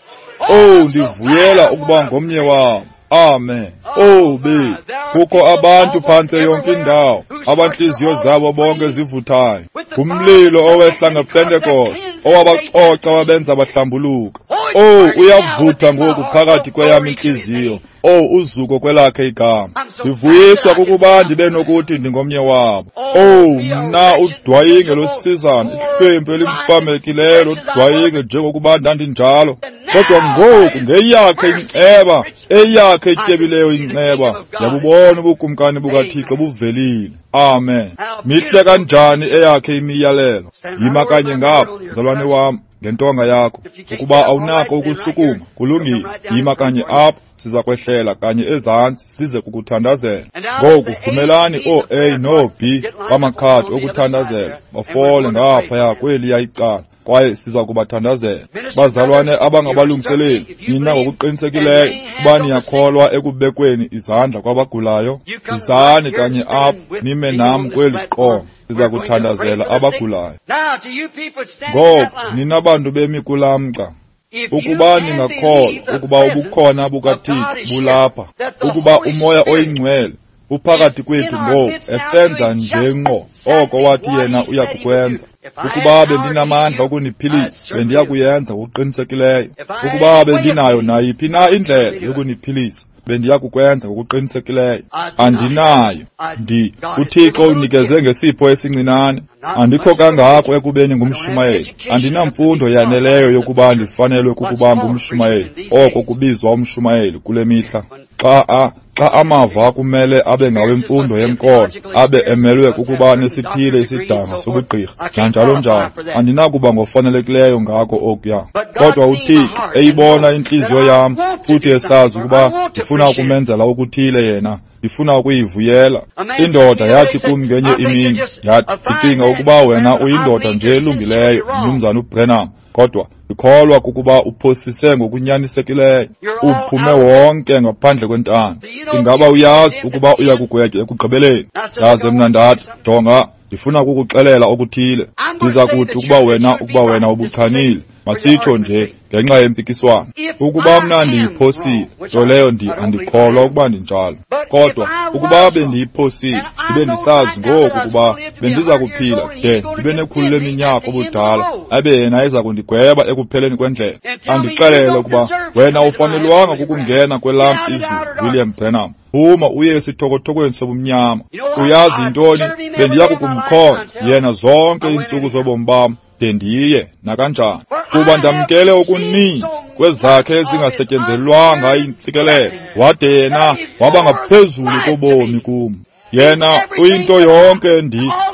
Oh, ndivuyela ukuba ngomnye wabo. Amen. Oh, be kukho abantu phantse yonke indawo abantliziyo zabo bonke zivuthayo ngumlilo owehla ngePentekoste owabacoca wabenza bahlambuluka. Oh, uyavutha ngoku phakathi kweyam intliziyo. Oh, uzuko kwelakhe igama. Ndivuyiswa kukuba ndibe nokuthi ndingomnye wabo. Oh, mna udwayinge losizana, ihlwempu elimfamekileyo lodwayinge njengokuba ndandinjalo. Kodwa ngoku ngeyakhe inceba Eyakhe etyebileyo inceba, ndiyabubona ubukumkani bukaThixo buvelile. Amen. Mihle kanjani eyakhe imiyalelo. Yima kanye ngapha, mzalwane wam, ngentonga yakho. Ukuba awunako ukusukuma, kulungile, yima kanye apho. Siza kwehlela kanye ezantsi size kukuthandazela. Ngoku vumelani o-A no-B bamakhadi okuthandazela bafole ngaphaya kweliya icala, kwaye siza kubathandazela. Bazalwane abangabalungiseleli, nina ngokuqinisekileyo ukuba niyakholwa ekubekweni izandla kwabagulayo, yizani kanye apho nime nam kweli qonga. Siza kuthandazela abagulayo. Ngoku nina bantu bemi kulaa mgca, ukuba ningakholwa ukuba ubukhona bukaThixo bulapha, ukuba uMoya oyiNgcwele uphakathi kwethu ngoku esenza nje ngqo oko wathi yena uya kukwenza. Ukuba bendinamandla okuniphilisa, bendiya kuyenza ngokuqinisekileyo. Ukuba bendinayo nayiphi na indlela yokuniphilisa, bendiya kukwenza ngokuqinisekileyo. Andinayo. UThixo unikeze ngesipho esincinane. Andikho kangako ekubeni ngumshumayeli. Andinamfundo yaneleyo yokuba ndifanelwe kukuba ngumshumayeli, oko kubizwa umshumayeli kule mihla. Xa amava kumele abe ngawemfundo yenkolo, abe emelwe kukuba nesithile isidanga sobugqirha, nanjalo njalo. Andinakuba ngofanelekileyo ngako okuya. Kodwa uThixo eyibona intliziyo yam, futhi esazi ukuba ndifuna ukumenzela okuthile yena, ndifuna ukuyivuyela. Indoda yathi kum ngenye imini, yathi, ndicinga ukuba wena uyindoda nje elungileyo, Mnumzana uBrenham, kodwa ndikholwa kukuba uphosise ngokunyanisekileyo, uphume wonke ngaphandle kwentando. Ingaba uyazi ukuba uya kugwetywa ekugqibeleni? Ndaze mna ndathi, jonga, ndifuna ukukuxelela okuthile. Ndiza kuthi ukuba wena ubuchanile, masitsho nje ngenxa yempikiswano. Ukuba mna ndiyiphosile, nto leyo andikholwa ukuba ndinjalo. Kodwa ukuba bendiyiphosile, ndibe ndisazi ngoku ukuba bendiza kuphila de ndibe nekhulu leminyaka obudala, abe yena eza kundigweba ekupheleni kwendlela, andixelele ukuba wena ufanelwanga kukungena kwelam izulu, William Branham. Phuma uye esithokothokweni sobumnyama. Uyazi yintoni? Bendiya kukumkhonza yena zonke iintsuku zobomi bam, de ndiye nakanjani, kuba ndamkele okuninzi kwezakhe ezingasetyenzelwanga iintsikelelo, wade yena waba ngaphezulu kobomi kum. Yena uyinto yonke,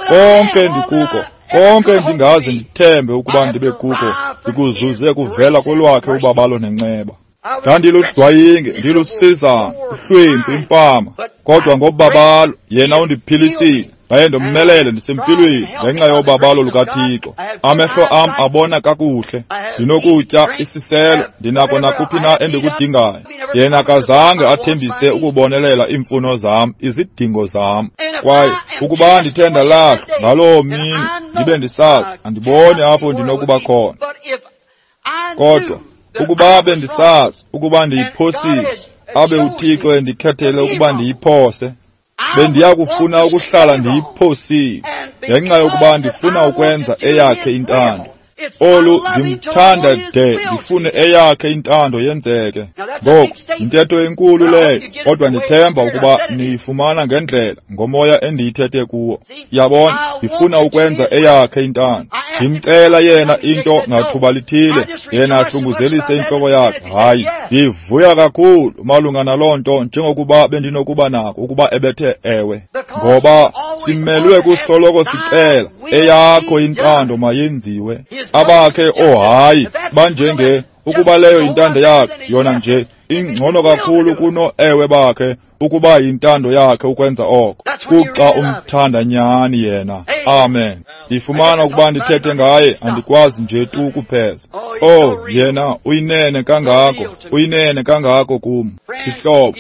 konke ndikuko, konke ndingaze ndithembe ukuba ndibe kuko, ndikuzuze kuvela kolwakhe ubabalo nenceba. Ndandiludwayinge, ndilusizana, uhlwempu, imfama, kodwa ngobabalo yena undiphilisile. Ndaye ndomelele ndisempilweni ngenxa yobabalo lukaThixo. Amehlo am abona kakuhle, ndinokutya isiselo, ndinako nakuphi na endikudingayo. Yena akazange athembise ukubonelela iimfuno zam, izidingo zam. Kwaye ukuba ndithe ndalahlwa ngaloo mini, ndibe ndisazi, andiboni apho ndinokuba khona. Kodwa ukuba bendisazi ukuba ndiyiphosile, abe uThixo endikhethele ukuba ndiyiphose, bendiya kufuna ukuhlala ndiyiphosile ngenxa yokuba ndifuna ukwenza eyakhe intando. Olu ndimthanda de ndifune eyakhe intando yenzeke. Ngoku yintetho enkulu leyo, kodwa ndithemba ukuba niyifumana ngendlela ngomoya endiyithethe kuwo. Yabona, ndifuna ukwenza eyakhe intando. Ndimcela yena into ngathuba lithile, yena ahlunguzelise intloko yakhe. Hayi, ndivuya kakhulu malunga naloo nto njengokuba bendinokuba nako ukuba ebethe ewe. Ngoba simelwe kusoloko sicela eyakho intando mayenziwe. Abakhe ohayi banjenge ukuba leyo intando yakhe, yona nje ingcono kakhulu kuno ewe bakhe ukuba yintando yakhe ukwenza oko. Kuxa umthanda nyani yena. Amen. Ndifumana ukuba ndithethe ngaye, andikwazi nje tu kupheza. Oh, yena uyinene kangako, uyinene kangako kum. Sihlobo,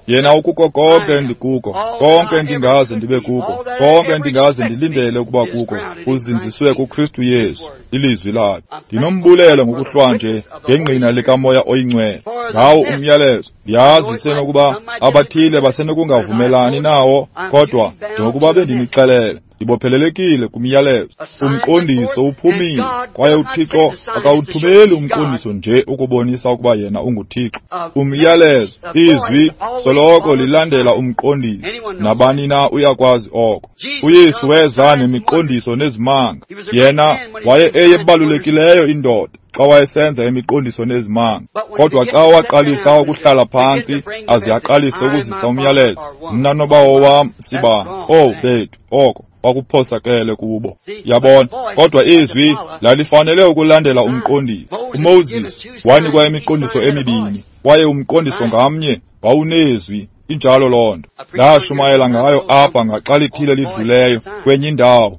yena ukuko konke ndikuko, konke ndingaze ndibe kuko, konke ndingaze ndilindele ukuba kuko, uzinziswe kuKristu Yesu, ilizwi lakhe. Ndinombulelo ngokuhlwa nje ngengqina likaMoya oyiNgcwele ngawo umyalezo. Ndiyazi senokuba abathile basenokungavumelani nawo, kodwa njengokuba bendinixelele, ndibophelelekile kumyalezo. Umqondiso uphumile, kwaye uThixo akawuthumeli umqondiso nje ukubonisa ukuba yena unguThixo. Umyalezo, izwi, soloko lilandela umqondiso. Nabani na uyakwazi oko. uYesu weza nemiqondiso nezimanga. Yena waye eyebalulekileyo indoda. xa wayesenza imiqondiso nezimanga. Kodwa xa waqalisa ukuhlala phantsi aze aqalise ukuzisa umyalezo, mna nobawo wam sibani, owu bethu, oko kwakuphosakele kubo. Yabona? Kodwa izwi lalifanele ukulandela umqondiso. UMoses wanikwa imiqondiso emibini, kwaye umqondiso ngamnye wawunezwi. Injalo loo nto. Ndashumayela ngayo apha ngaxa lithile lidluleyo kwenye indawo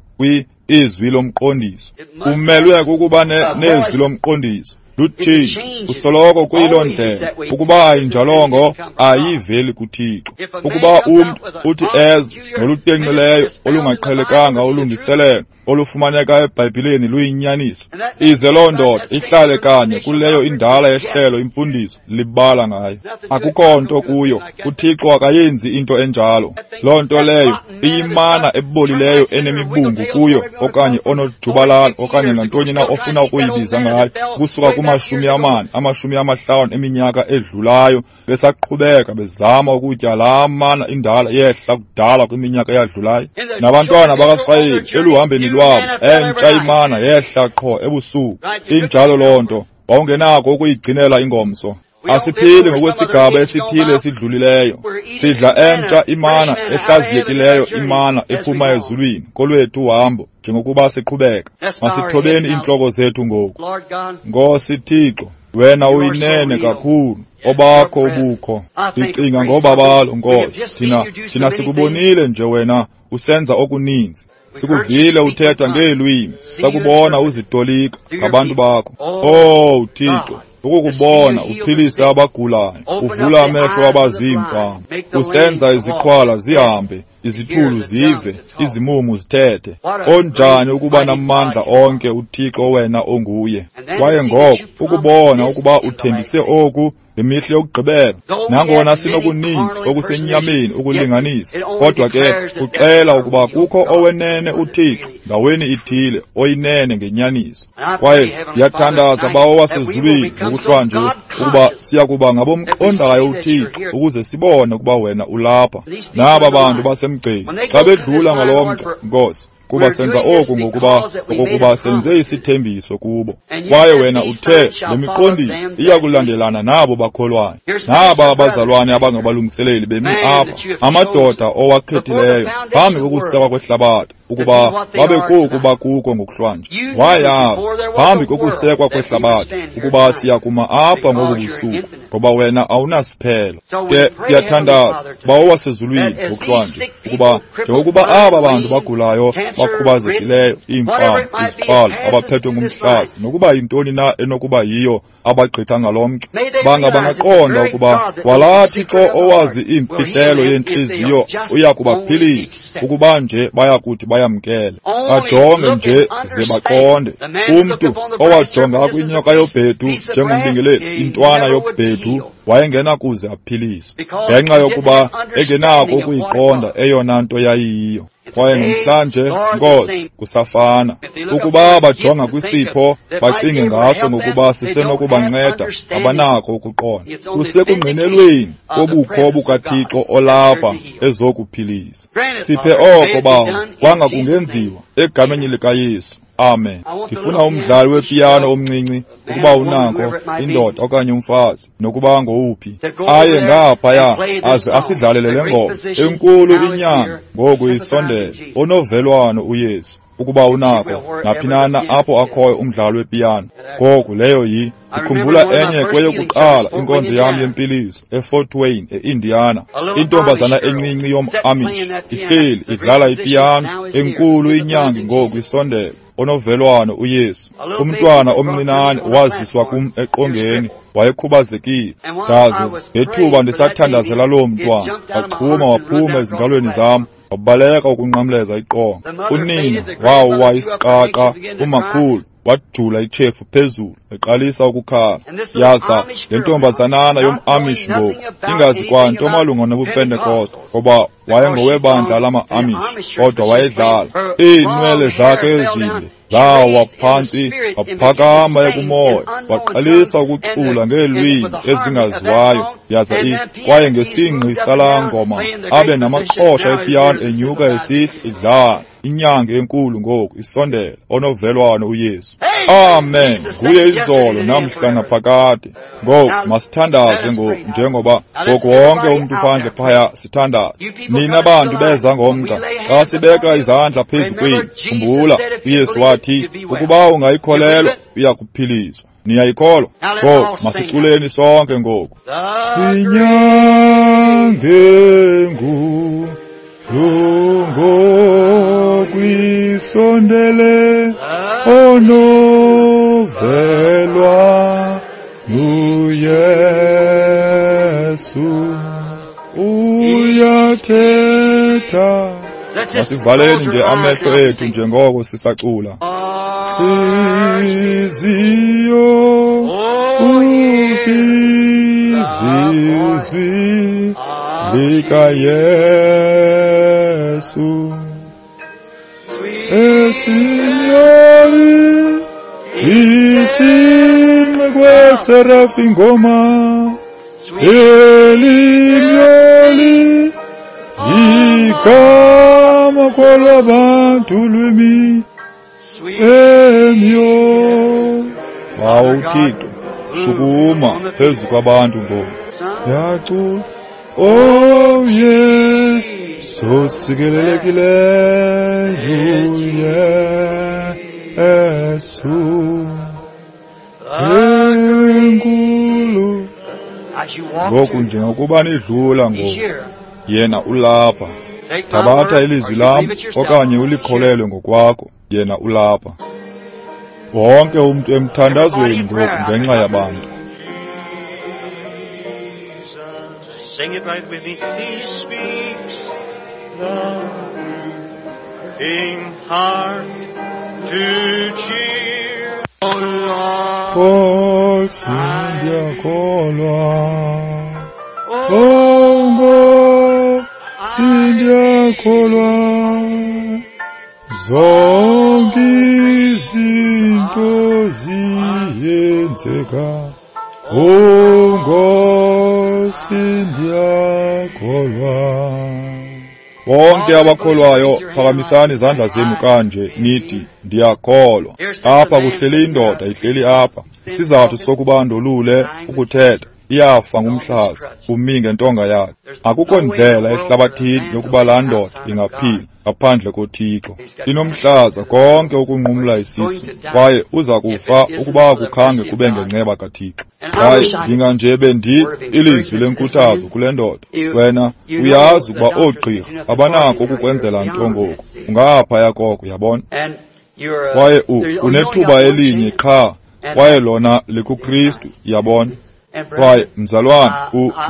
izwi lomqondiso. Kumelwe kukuba nezwi lomqondiso. Lutshintsho usoloko kuyiloo ndlela. Ukuba ayinjalongo, ayiveli kuThixo. Ukuba umntu uthi eze nolutenxileyo olungaqhelekanga ulungiselelo olufumaneka eBhayibhileni luyinyaniso, ize loo ndoda ihlale kanye kuleyo indala yehlelo imfundiso, libala ngayo. Akukho nto kuyo. UThixo akayenzi into enjalo. Loo nto leyo iyimana ebolileyo enemibungu kuyo, okanye onojubalala, okanye nantoni na ofuna ukuyibiza ngayo, kusuka kuma-40, 50 eminyaka edlulayo, besaqhubeka bezama ukutya laa mana indala yehla kudala kwiminyaka eyadlulayo. Nabantwana bakaSirayeli eluhambeni lwabo, entsha imana yehla qho ebusuku. Injalo loo nto. Wawungenako ukuyigcinela ingomso. Asiphili ngokwesigaba esithile esidlulileyo. Sidla entsha imana ehlaziyekileyo, imana ephuma ezulwini kolwethu uhambo njengokuba siqhubeka. Masithobeni iintloko zethu ngoku. Nkosi Thixo, wena uyinene kakhulu, obakho ubukho. Ndicinga ngobabalo, Nkosi. Thina sikubonile nje wena usenza okuninzi. Sikuvile uthetha ngeelwimi, sakubona uzitolika ngabantu bakho. Oh Thixo, ukukubona uphilise abagulayo, uvula amehlo abaziimfama, usenza iziqhwala zihambe, izithulu zive, izimumu zithethe. Onjani ukuba namandla onke uThixo wena onguye. Kwaye ngoko ukubona ukuba uthembise oku ngemihla yokugqibela, nangona sinokuninzi okusenyameni ukulinganisa, kodwa ke kuxela ukuba kukho owenene uThixo ndaweni ithile oyinene ngenyaniso. Kwaye ndiyathandaza, Bawo wasezulwini, ngokuhlwanje ukuba siya kuba ngabomqondayo uThixo, ukuze sibone ukuba wena ulapha. Naba bantu basemgceni xa bedlula ngalo mgca, Nkosi, kuba senza oku ngokuba okokuba senze isithembiso kubo. Kwaye wena uthe le miqondiso iya kulandelana nabo bakholwayo. Naba abazalwane abangabalungiseleli bemi apha, amadoda owakhethileyo phambi kokusekwa kwehlabathi, ukuba babe koku bakuko ngokuhlwanje. Wayazi phambi kokusekwa kwehlabathi ukuba siya kuma apha ngobu busuku, ngoba wena awunasiphelo. Ke siyathandaza, Bawo wasezulwini, ngokuhlwanje ukuba njengokuba aba bantu bagulayo, bakhubazekileyo, iimfama, iziqhwala, abaphethwe ngumhlaza, nokuba yintoni na enokuba yiyo, abagqitha ngalo mgca, banga bangaqonda ukuba kwalaa Thixo owazi iimfihlelo yentliziyo uya kubaphilisa, ukuba nje bayakuthi bayamkele. Bajonge nje ze baqonde. Umntu owajonga kwinyoka yobhedu njengombingeleli, intwana yobhedu, wayengenakuze aphiliswe, ngenxa yokuba engenako ukuyiqonda eyona nto yayiyiyo. Kwaye namhlanje, Nkosi, kusafana. Ukuba bajonga kwisipho bacinge ngaso ngokuba sisenokubanceda, abanako ukuqonda. Kusekungqinelweni kobukho bukaThixo olapha ezokuphilisa. Siphe oko, Bawo, kwanga kungenziwa egameni likaYesu. Amen. Ndifuna umdlali wepiyano omncinci, ukuba unako, indoda okanye umfazi, nokuba ngowuphi, aye ngaphaya aze asidlalele le ngoma enkulu inyanga ngoku isondele, onovelwano uYesu. Ukuba unako, naphi na apho akhoyo umdlali wepiyano. Ngoku leyo yi ndikhumbula enye kweyokuqala inkonzo yam yempiliso eFort Wayne, eIndiana. Intombazana encinci yom-Amish ihleli idlala ipiyano enkulu inyangi ngoku isondele, onovelwano uYesu. Umntwana omncinane waziswa kum eqongeni, wayekhubazekile. Ndaze ngethuba ndisathandazela loo mntwana, waxhuma waphuma ezingalweni zam, wabaleka ukunqamleza iqonga. Unina wawa isiqaqa, umakhulu wajula itshefu phezulu, eqalisa ukukhala. Yaza le ntombazanana yom-Amish ngoku ingazi kwanto malunga nobuPentekoste, ngoba wayengowebandla lama-Amish, kodwa wayedlala. Iinwele zakhe ezinde zawa phantsi, waphakama ekumoya, waqalisa ukucula ngeelwimi ezingaziwayo. Yaza kwaye ngesingqi salaa ngoma abe namaqhosha epiyano enyuka esihla idlala. Inyanga enkulu ngoku isondele, onovelwano uYesu. Amen. Nguye izolo namhla naphakade. Ngoku masithandaze ngoku, njengoba ngoku wonke umntu phandle phaya sithandaze. Nina bantu beza ngomgca, xa sibeka izandla phezu kwenu, khumbula uYesu wathi ukuba ungayikholelwa uya kuphiliswa. Niyayikholwa? Ngoku masiculeni sonke ngoku. Inyangengu lungokwisondele onovelwa nguYesu uyathetha. Masivaleni nje amehlo ethu njengoko sisacula. Inhliziyo uvizwi likaYesu esinyoli isimwe kweserafi ngoma elimyoli igama kwalwabantu lwimi emyo. Bawo uThixo, shukuma phezu kwabantu ngoku. Yacula, oh Yesu sikelelekileyo Yesu enkulu. Ngoku njengokuba nidlula ngoku, yena ulapha. Thabatha ilizwi lam okanye ulikholelwe ngokwakho, yena ulapha. Wonke umntu emthandazweni ngoku ngenxa yabantu. Sing it right with me. He speaks the moving heart to cheer. Oh Lord, Nkosi ndiyakholwa, oh Nkosi ndiyakholwa, zonke izinto ziyenzeka. Oh Nkosi ndiyakholwa. Bonke abakholwayo phakamisani izandla zenu kanje nithi ndiyakholwa. Apha kuhleli indoda ihleli apha. Isizathu sokuba ndolule ukuthetha, iyafa ngumhlaza, umi ngentonga yakhe. Akukho ndlela ehlabathini yokuba laa ndoda ingaphila ngaphandle koThixo. Inomhlaza konke ukunqumla isisu, kwaye uza kufa ukuba akukhange kube ngenceba kaThixo. Kwaye ndinga nje bendi ilizwi lenkuthazo kule ndoda. Wena uyazi ukuba oogqirha abanako ukukwenzela nto ngoku, ungaphaya koko, uyabona. Kwaye unethuba elinye qha, kwaye lona likuKristu, uyabona. Kwaye mzalwane,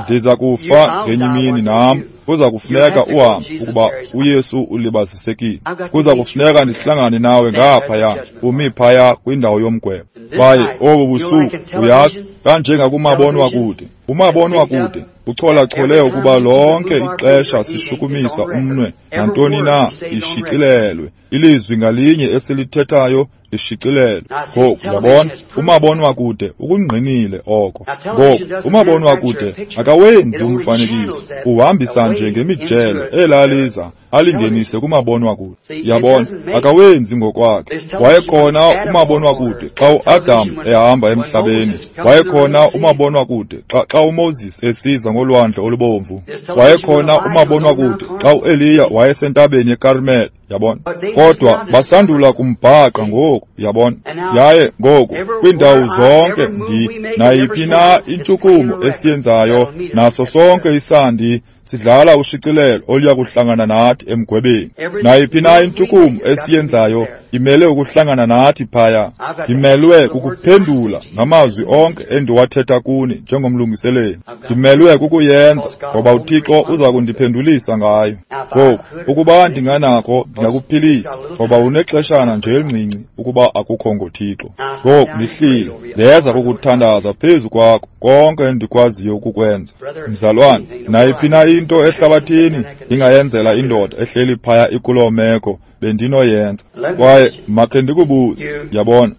ndiza kufa ngenye imini nam. Kuza kufuneka uhambe ukuba uYesu ulibazisekile. Kuza kufuneka ndihlangane nawe ngaphaya, umi phaya kwindawo yomgwebo. Kwaye obu busuku, uyazi, kanjengakumabonwakude, umabonwakude ucholachole ukuba lonke ixesha sishukumisa umnwe nantoni na ishicilelwe. Ilizwi ngalinye esilithethayo lishicilelwe. Ngoku uyabona, umabonwakude ukungqinile oko. Ngoku umabonwakude akawenzi umfanekiso, uhambisa nje ngemijelo elaliza alingenise kumabonwakude. Uyabona, akawenzi ngokwakhe. Wayekhona umabonwakude xa uAdam ehamba emhlabeni. Wayekhona umabonwakude xa uMoses esiza ngolwandle olubomvu. Wayekhona umabonwakude xa uEliya wayesentabeni yeKarmel. Yabona, kodwa basandula kumbhaqa ngoku, yabona. Yaye ngoku kwiindawo zonke nayiphi na intshukumo esiyenzayo, naso sonke isandi sidlala ushicilelo oluya kuhlangana nathi emgwebeni. Nayiphi na intshukumo esiyenzayo imele ukuhlangana nathi phaya. Imelwe kukuphendula ngamazwi onke endiwathetha kuni njengomlungiseleli. Ndimelwe kukuyenza ngoba uThixo uza kundiphendulisa ngayo. Ngoku ukuba ndinganako ndingakuphilisa, ngoba unexeshana nje elincinci ukuba akukho ngoThixo. Ngoku ndihlile, ndeza kukuthandaza phezu kwakho konke endikwaziyo ukukwenza. Mzalwane, nayiphi na into ehlabathini ndingayenzela indoda ehleli phaya ikuloo meko bendinoyenza. Kwaye makhe ndikubuze, yabona,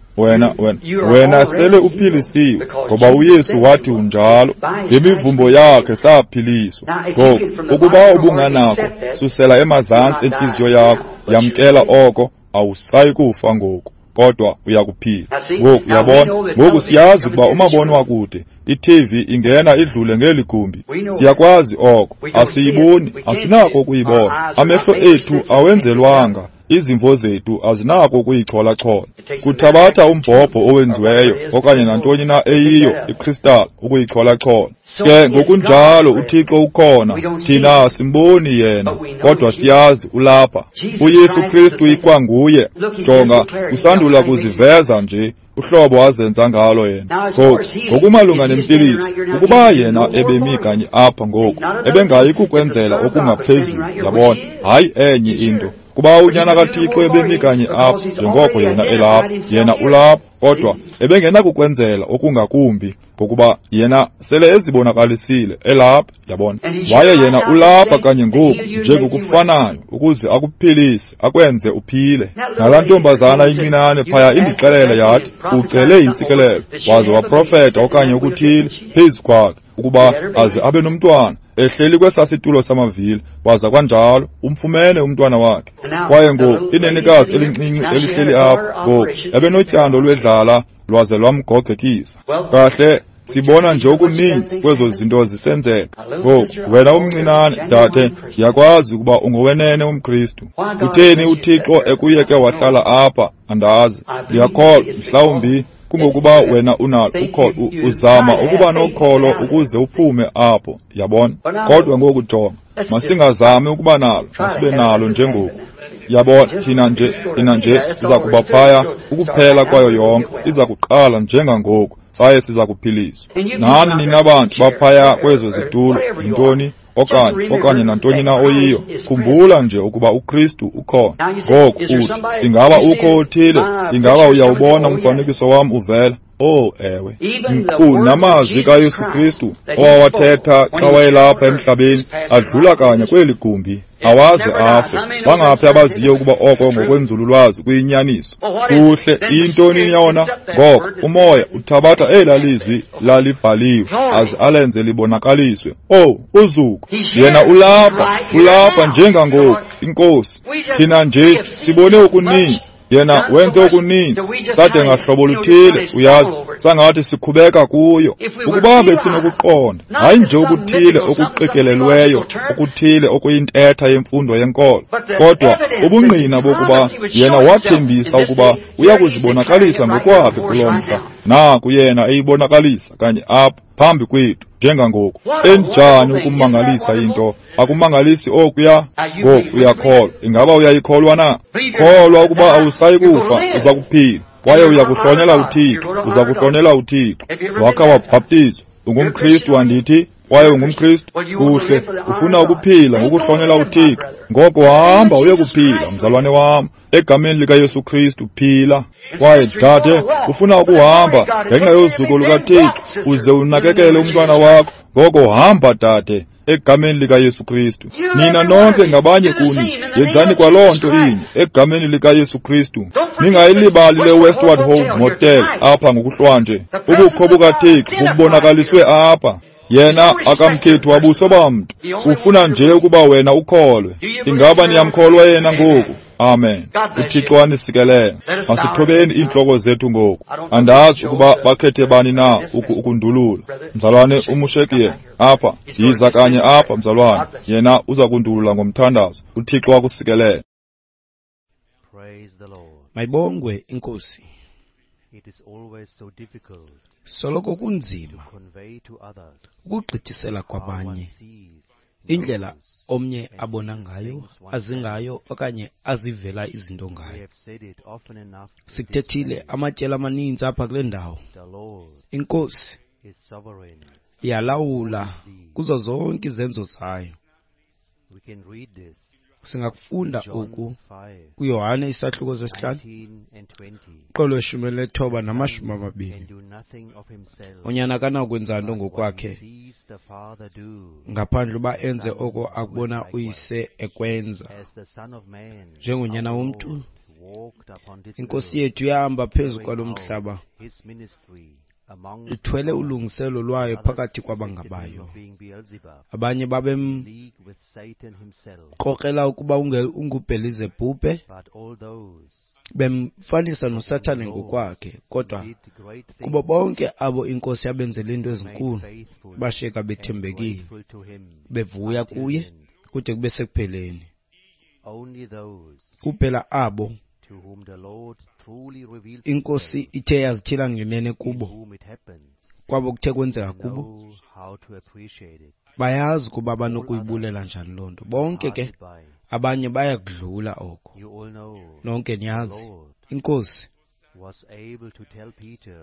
wena sele uphilisiwe, ngoba uYesu wathi unjalo. Ngemivumbo yakhe saphiliswa. Ngoku ukuba ubunganako, susela emazantsi entliziyo yakho Yamkela oko, awusayi kufa ngoku, kodwa uyakuphila. Ngoku uyabona, ngoku siyazi ukuba umabonwakude, i-TV ingena idlule ngeli gumbi. Siyakwazi oko, asiyiboni, asinako ukuyibona. Amehlo ethu awenzelwanga, izimvo zethu azinako ukuyichola-chola. Kuthabatha umbhobho owenziweyo okanye nantoni na eyiyo ikristali ukuyichola-chola. Ke ngokunjalo uThixo ukhona, thina simboni yena, kodwa siyazi ulapha. UYesu Kristu ikwanguye. Jonga, usandula kuziveza nje uhlobo azenza ngalo yena. Ngoku, ngokumalunga nempiliso, ukuba yena ebemi kanye apha ngoku, ebengayi kukwenzela okungaphezulu, yabona, hayi enye into. Kuba uNyana kaThixo ebemi kanye apha, njengoko yena elapha, yena ulapha, kodwa ebengenakukwenzela okungakumbi, ngokuba yena sele ezibonakalisile elapha, yabona. Waye yena ulapha kanye ngoku, njengokufanayo, ukuze akuphilise, akwenze uphile. Nalaa ntombazana incinane phaya indixelele yathi, ucele intsikelelo, waze waprofeta okanye okuthile phezu kwakhe, ukuba aze abe nomntwana. Ehleli kwesasitulo samavili, waza kwanjalo umfumene umntwana wakhe. Kwaye ngoku inenekazi elincinci elihleli apha ngoku ebenotyando lwedlala lwaze lwamgogekisa. Kahle, sibona nje okuninzi kwezo zinto zisenzeka. Ngoku wena umncinane dade, ndiyakwazi ukuba ungowenene umKristu. Kutheni uThixo ekuyeke wahlala apha? Andazi. Ndiyakholwa mhlawumbi kungokuba wena unalo ukholo, uzama ukuba nokholo ukuze uphume apho, yabona. Kodwa ngoku jonga, masingazami ukuba nalo, masibe nalo njengoku. Yabona, thina nje siza kuba phaya ukuphela kwayo yonke, iza kuqala njengangoku, saye siza kuphiliswa. Nani nina bantu baphaya kwezo zitulo, yintoni okanye nantoni na oyiyo, khumbula nje ukuba uKristu ukhona. Ngoku uthi, ingaba ukho othile? Ingaba uyawubona umfanekiso wam uvela? Oh, ewe. Nkqu namazwi kaYesu Kristu owawathetha xa wayelapha emhlabeni adlula kanye kweli gumbi, awaze afe. Bangaphi abaziyo ukuba oko ngokwenzululwazi kuyinyaniso? Kuhle, iyintoni yona? Ngoko umoya uthabatha elaa lizwi lalibhaliwe aze alenze libonakaliswe. Oh, uzuko! Yena ulapha, ulapha njengangoku, iNkosi. Thina nje sibone okuninzi. Yena wenze okuninzi, sade ngahlobo luthile, uyazi, sangathi sikhubeka kuyo. Ukuba besinokuqonda, hayi nje okuthile okuqikelelweyo, okuthile okuyintetha yemfundo yenkolo, kodwa ubungqina bokuba yena wathembisa ukuba uya kuzibonakalisa ngokwakhe kulo mhla. Naku yena eyibonakalisa kanye apha phambi kwethu njengangoku. Enjani ukumangalisa into! Akumangalisi okuya? Ngoku uyakholwa. Ingaba uyayikholwa na? Kholwa ukuba awusayi kufa, uza kuphila, kwaye uyakuhlonela uThixo, uza kuhlonela uThixo. Wakha wabhaptizwa, ungumKristu andithi? Kwaye ungumKristu? Kuhle, ufuna ukuphila ngokuhlonela uThixo. Ngoko hamba uye kuphila, mzalwane wam, egameni likaYesu Kristu, phila. Kwaye dade, ufuna ukuhamba ngenxa yozuko lukaThixo, uze unakekele umntwana wakho. Ngoko hamba dade, egameni likaYesu Kristu. Nina nonke ngabanye kuni, yenzani kwaloo nto inye egameni likaYesu Kristu. Ningayilibali le Westward Ho Motel apha ngokuhlwanje. Ubukho bukaThixo bubonakaliswe apha. Yena akamkhethi wabuso bamntu, ufuna nje ukuba wena ukholwe. Ingaba niyamkholwa yena ngoku? Amen. uThixo anisikelele. Masithobeni iintloko zethu ngoku. Andazi ukuba bakhethe bani na ukundulula. Mzalwane uMushekiye apha, yiza kanye apha mzalwane. Yena uza kundulula ngomthandazo. uThixo akusikelele. Mayibongwe iNkosi. Soloko kunzima ukugqithisela kwabanye indlela omnye abona ngayo, azingayo okanye azivela izinto ngayo. Sikuthethile amatyeli amaninzi apha kule ndawo. INkosi iyalawula kuzo zonke izenzo zayo. Singakufunda oku kuYohane isahluko sesihlanu uqolo 19 na-20. Unyana akanakwenza nto ngokwakhe ngaphandle uba enze oko akubona uyise ekwenza. Njengonyana womntu, iNkosi yethu yahamba phezu kwalo mhlaba ithwele ulungiselo lwayo phakathi kwabangabayo. Abanye babemkrokrela ukuba unguBhelizebhubhe, bemfanisa noSathane ngokwakhe, kodwa kubo bonke abo iNkosi yabenzela iinto ezinkulu, bashiyeka bethembekile, bevuya kuye kude kube sekupheleni. Kuphela abo iNkosi ithe yazityhila ngenene kubo, kwabo kuthe kwenzeka kubo, bayazi ukuba banokuyibulela njani loo nto. Bonke ke abanye bayakudlula oko. Nonke niyazi, iNkosi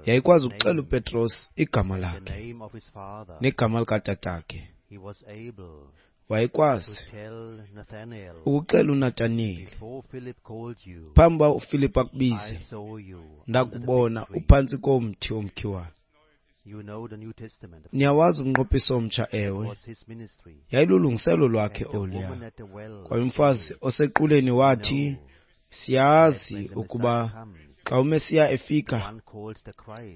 yayikwazi ukuxela uPetros igama lakhe negama likatatakhe. Wayekwazi ukuxela uNataniyeli, phambi uba uFilipu akubize, ndakubona uphantsi komthi womkhiwane. Niyawazi umnqophiso omtsha, ewe. Yayilulungiselo lwakhe oluya. Kwaye umfazi osequleni wathi, siyazi ukuba xa uMesiya efika,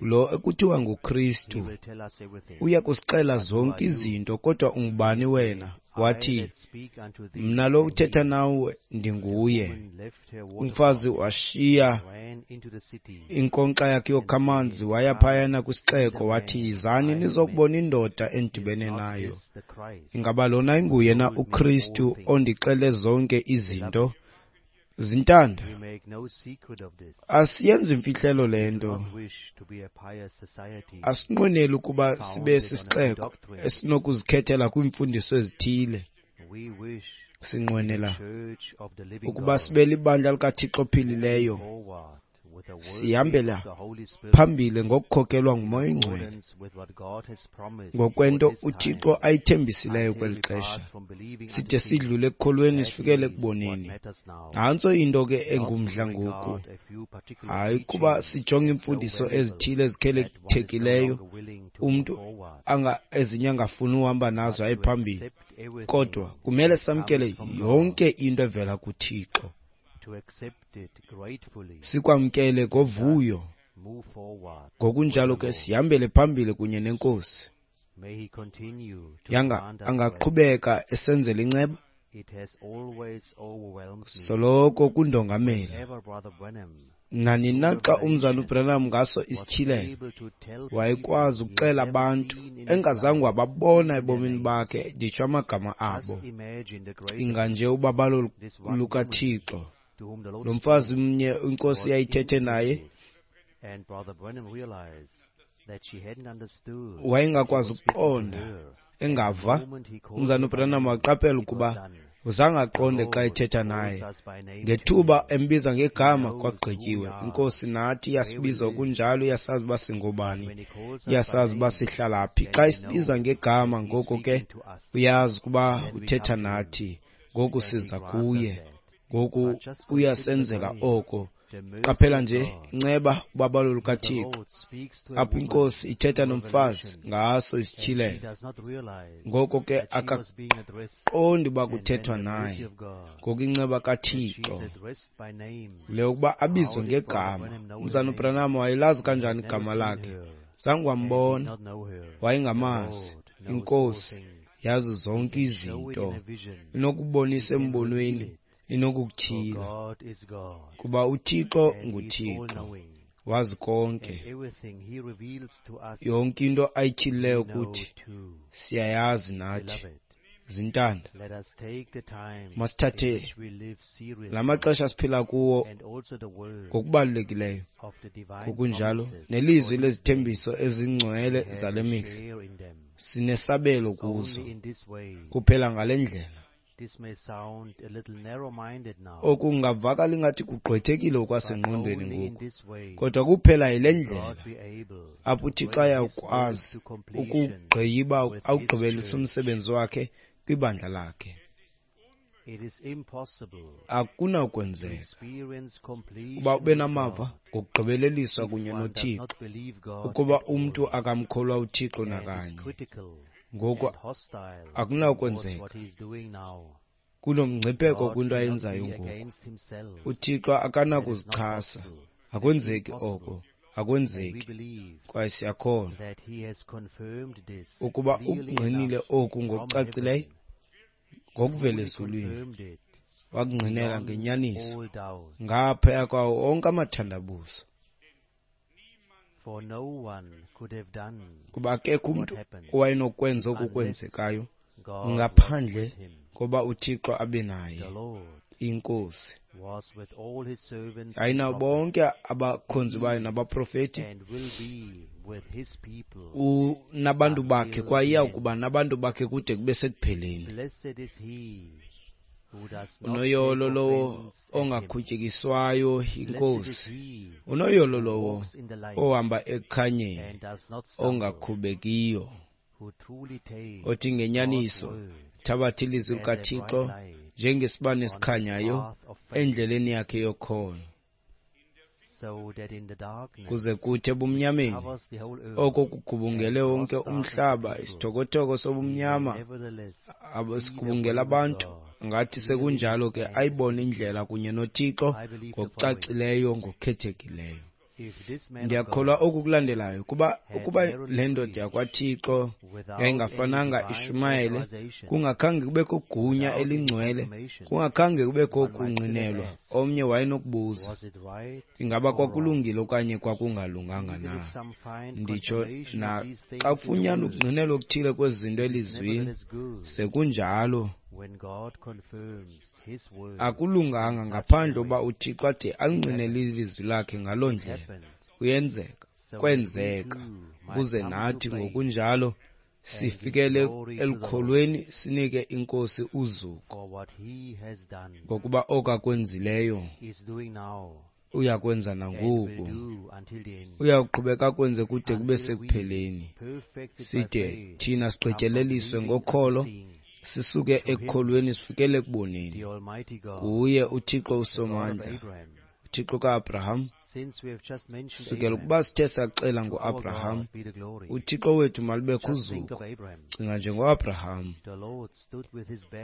lo ekuthiwa nguKristu, uya kusixela zonke izinto, kodwa ungubani wena? Wathi, mna lo uthetha nawe ndinguye. Umfazi washiya inkonkxa yakhe yokha amanzi, waya phayana kwisixeko, wathi, yizani nizokubona indoda endidibene nayo. Ingaba lona inguye na uKristu ondixele zonke izinto? Zintanda, asiyenzi imfihlelo le nto. Asinqweneli ukuba sibe sisixeko esinokuzikhethela kwiimfundiso ezithile. Sinqwenela ukuba sibe libandla likaThixo ophilileyo, sihambela phambili ngokukhokelwa nguMoya oyiNgcwele ngokwento uThixo ayithembisileyo kweli xesha, side sidlule ekukholweni sifikele ekuboneni. Nantso into ke engumdla ngoku, hayi kuba sijonge iimfundiso ezithile ezikhethekileyo umntu ezinye angafuni uhamba nazo aye phambili, kodwa kumele samkele yonke into evela kuThixo, sikwamkele ngovuyo. Ngokunjalo ke sihambele phambili kunye neNkosi. Yanga angaqhubeka esenzela inceba, soloko kundongamela. Nanini xa umzana uBranham ngaso isityhilelo wayekwazi ukuxela abantu engazange wababona ebomini bakhe, nditsho amagama abo. Cinga nje ubabalo lukaThixo. Lo mfazi mnye iNkosi yayithethe naye wayengakwazi ukuqonda, engava. Umzana uBranham waqaphela ukuba uzange aqonde xa ethetha naye. Ngethuba embiza ngegama, kwagqityiwe. INkosi nathi iyasibiza okunjalo, iyasazi uba singobani, iyasazi uba sihlala phi. Xa isibiza ngegama, ngoko ke uyazi ukuba uthetha nathi. Ngoku siza kuye, ngoku uyasenzela oko. Qaphela nje inceba, ubabalo lukaThixo. Apho iNkosi ithetha nomfazi ngaso isityhilelo, ngoko ke akaqondi uba kuthethwa naye. Ngoku inceba kaThixo le ukuba abizwe ngegama. Umzana uBranham wayelazi kanjani igama lakhe? Zange wambona, wayengamazi. INkosi yazi zonke izinto, inokubonisa embonweni, inokukutyhila, kuba uThixo nguThixo, wazi konke. Yonke into ayityhilileyo kuthi siyayazi nathi. Zintanda, masithathe la maxesha siphila kuwo ngokubalulekileyo, ngokunjalo nelizwi lezithembiso ezingcwele zale mihla sinesabelo kuzo. Kuphela ngale ndlela. Oku kungavakala ingathi kugqwethekile okwasengqondweni ngoku, kodwa kuphela yile ndlela apho uThixo ayakwazi ukugqiba awugqibelise umsebenzi wakhe kwibandla lakhe. Akunakwenzeka uba ube namava ngokugqibeleliswa kunye noThixo ukuba umntu akamkholwa uThixo nakanye. Ngoku akunakwenzeka, kunomngcipheko kwinto ayenzayo ngoku. UThixo akanakuzichasa, akwenzeki oko, Akwenzeki. Kwaye siyakholwa ukuba ukungqinile oku ngokucacileyo ngokuvela ezulwini, wakungqinela ngenyaniso ngaphaya kwawo onke amathandabuzo, kuba akekho umntu owayenokwenza oku kwenzekayo ngaphandle koba uThixo abe naye. INkosi yayinabo bonke abakhonzi bayo nabaprofeti, unabantu bakhe kwaye iya kuba nabantu bakhe kude kube sekupheleni. Unoyolo lowo ongakhutyekiswayo yiNkosi, unoyolo lowo ohamba ekukhanyeni ongakhubekiyo, othi ngenyaniso thabatha ilizwi likaThixo njengesibane esikhanyayo endleleni yakhe yokholo, kuze kuthi ebumnyameni oko kugubungele wonke umhlaba, isithokothoko sobumnyama abesigubungela abantu, ngathi sekunjalo ke ayibone indlela kunye noThixo ngokucacileyo ngokukhethekileyo. Ndiyakholwa oku kulandelayo, kuba le ndoda yakwaThixo yayingafananga ishumayele, kungakhange kubekho gunya elingcwele, kungakhange kubekho kungqinelwa, omnye wayenokubuza ingaba kwakulungile okanye kwakungalunganga na. Nditsho na xa kufunyanwa ukungqinelwa okuthile kwezi zinto elizwini, sekunjalo akulunganga ngaphandle uba uThixo ade alingqinele ilizwi lakhe ngaloo ndlela. Kuyenzeka, kwenzeka, ukuze nathi ngokunjalo sifikele elukholweni, sinike iNkosi uzuko, ngokuba oko akwenzileyo uyakwenza nangoku, uyawuqhubeka akwenze kude kube sekupheleni, side thina sigqityeleliswe ngokholo, sisuke ekukholweni sifikele ekuboneni kuye uThixo uSomandla, uThixo ka-Abraham. Sukela ukuba sithe saxela ngo-Abraham, uThixo wethu malubekho uzuko. Cinga nje ngo-Abraham.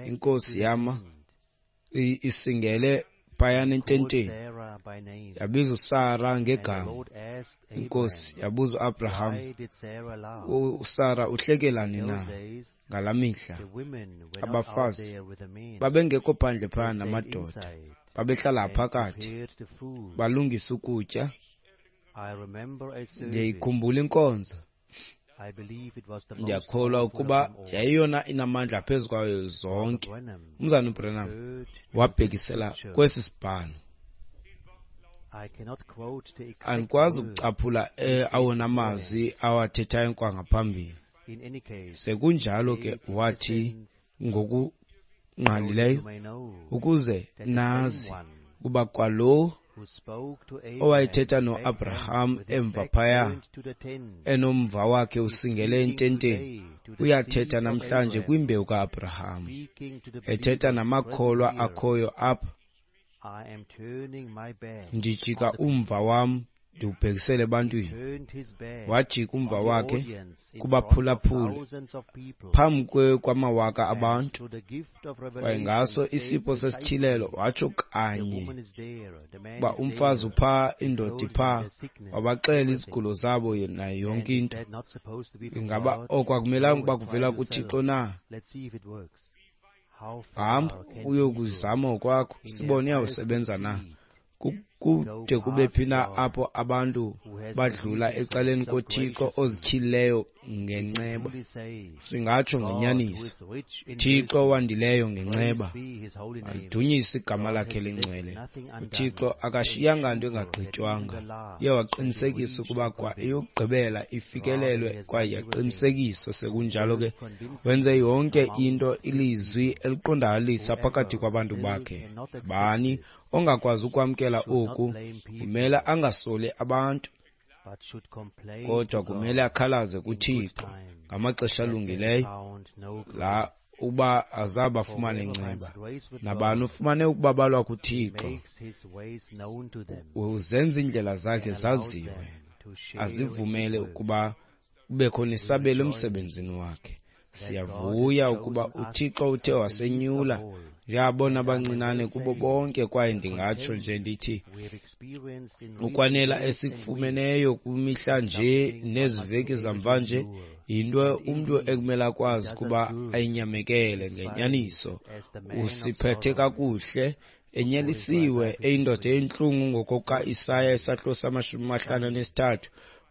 INkosi yama isingele phayana ententeni, yabiza uSara ngegama. INkosi yabuza uAbraham, uSara uhlekelani na? Ngalaa mihla abafazi babengekho phandle phaya namadoda, babehlala phakathi balungisa ukutya. Ndiyayikhumbula inkonzo, ndiyakholwa ukuba yayiyona inamandla phezu kwayo zonke. Umzana uBranham wabhekisela kwesi sibhalo. Andikwazi ukucaphula awona mazwi awathethayo kwangaphambili. Sekunjalo ke wathi ngokungqalileyo, ukuze nazi ukuba kwalo owayethetha noAbraham emva phaya enomva wakhe usingele ententeni, uyathetha namhlanje kwimbewu kaAbraham, ethetha namakholwa akhoyo apha. Ndijika umva wam ndiwubhekisele ebantwini. Wajika umva wakhe kubaphulaphuli phambi kwamawaka abantu, kwaye ngaso isipho sesityhilelo watsho kanye uba umfazi upha, indoda ipha, wabaxela izigulo zabo nayo yonke into. Ingaba oko akumelanga ukuba kuvela kuThixo na? Hamba uyokuzama ngokwakho, sibone iyawusebenza na. Kude kube phi na apho abantu badlula ecaleni koThixo ozityhilileyo ngenceba? Singatsho ngenyaniso, Thixo wandileyo ngenceba, alidunyise igama lakhe lingcwele. uThixo akashiyanga nto engagqitywanga, uye waqinisekisa ukuba kwa eyokugqibela ifikelelwe kwaye yaqinisekiswa. Sekunjalo ke wenze yonke into ilizwi eliqondakalisa phakathi kwabantu bakhe. Bani ongakwazi ukwamkela oku kumele angasoli abantu, kodwa kumele akhalaze kuThixo ngamaxesha alungileyo, la uba azabafumane inceba. Nabani ufumane ukubabalwa kuThixo, uzenza iindlela zakhe zaziwe, azivumele ukuba kubekho nesabelo emsebenzini wakhe. Siyavuya ukuba uThixo uthe wasenyula njengabona bancinane kubo bonke, kwaye ndingatsho nje ndithi ukwanela esikufumeneyo kwimihla nje nezi veki zamva nje yinto umntu ekumele akwazi ukuba ayinyamekele. Ngenyaniso usiphethe kakuhle, enyelisiwe, eyindoda eyintlungu ngokoka-Isaya isahluko sama-53,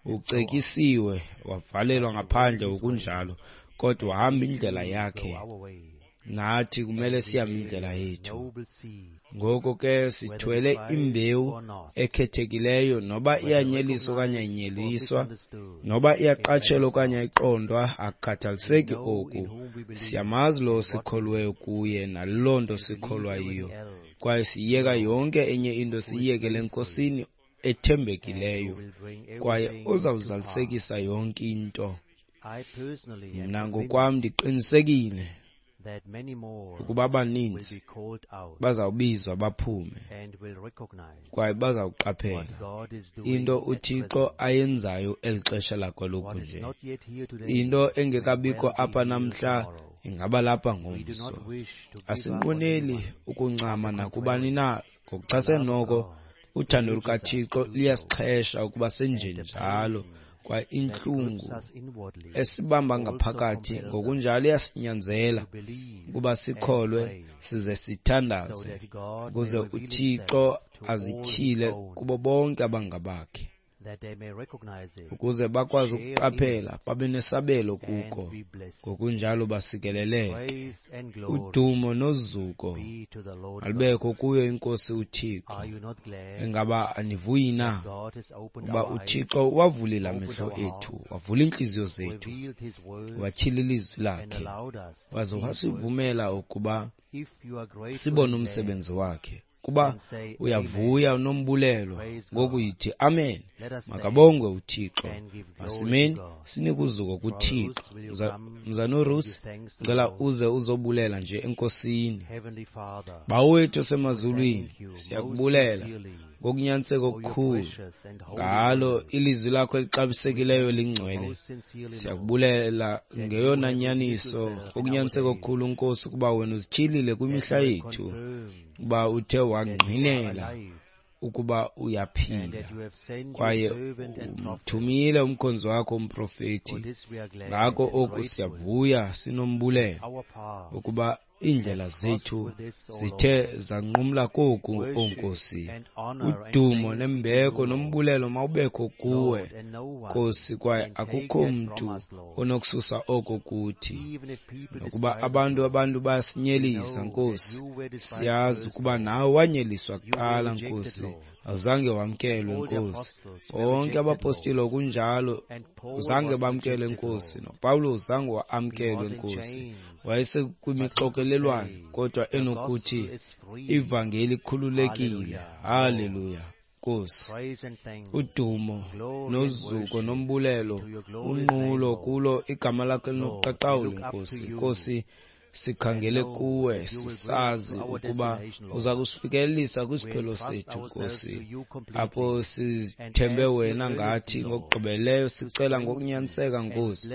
ucekisiwe wavalelwa ngaphandle ngokunjalo, kodwa wahamba indlela yakhe. Nathi kumele sihambe indlela yethu. Ngoko ke sithwele imbewu ekhethekileyo, noba iyanyeliswa okanye ayinyeliswa, noba iyaqatshelwa okanye ayiqondwa, akukhathaliseki oku. Siyamazi lowo sikholweyo kuye naloo nto sikholwa yiyo, kwaye siyeka yonke enye into siyiyekele eNkosini ethembekileyo, kwaye uzawuzalisekisa yonke into. Mna ngokwam ndiqinisekile ukuba abaninzi bazawubizwa baphume, kwaye bazawuqaphela into uThixo ayenzayo eli xesha lakwaloku nje. Into engekabikho apha namhla ingaba lapha ngomso. Asinqweneli ukuncama nakubani na. Ngokuchasene noko, uthando lukaThixo liyasixhesha ukuba senje njalo, kwaye intlungu esibamba ngaphakathi ngokunjalo iyasinyanzela ukuba sikholwe size sithandaze ukuze uThixo azityhile kubo bonke abangabakhe, ukuze bakwazi ukuqaphela babe nesabelo kuko, ngokunjalo basikeleleke. Udumo nozuko alubekho kuyo iNkosi uThixo. Ingaba anivuyi na ukuba uThixo wavulile amehlo ethu, wavula iintliziyo zethu, watyhila ilizwi lakhe, waze wasivumela ukuba sibone umsebenzi wakhe? Kuba uyavuya unombulelo, ngoku yithi amen. Makabongwe uThixo. Masimeni sinike uzuko kuThixo. Mzanorusi, ngicela uze uzobulela nje eNkosini. Bawo wethu osemazulwini, siyakubulela ngokunyaniseka okukhulu ngalo ilizwi lakho elixabisekileyo lingcwele. Siyakubulela ngeyona nyaniso ngokunyaniseka okukhulu, Nkosi, ukuba wena uzityhilile kwimihla yethu, ukuba uthe wangqinela ukuba uyaphila, kwaye umthumile umkhonzi wakho umprofeti. Ngako oku siyavuya sinombulelo ukuba iindlela zethu zithe zanqumla koku, oNkosi. Udumo nembeko nombulelo mawubekho kuwe, Nkosi, kwaye akukho mntu onokususa oko kuthi. Nokuba abantu bayasinyelisa, Nkosi, siyazi ukuba nawe wanyeliswa kuqala, Nkosi. Awuzange wamkelwe, Nkosi. Bonke abapostile kunjalo uzange bamkelwe, Nkosi. NoPawulos zange amkelwe, Nkosi. Wayesekwimixokelelwane, kodwa enokuthi ivangeli ikhululekile. Haleluya, Nkosi. Udumo nozuko nombulelo unqulo kulo igama lakho elinobuqaqawuli, Nkosi. Nkosi, sikhangele kuwe sisazi ukuba uza kusifikelelisa kwisiphelo sethu, Nkosi, apho sithembe wena ngathi ngokugqibeleleyo. Sicela ngokunyaniseka, Nkosi,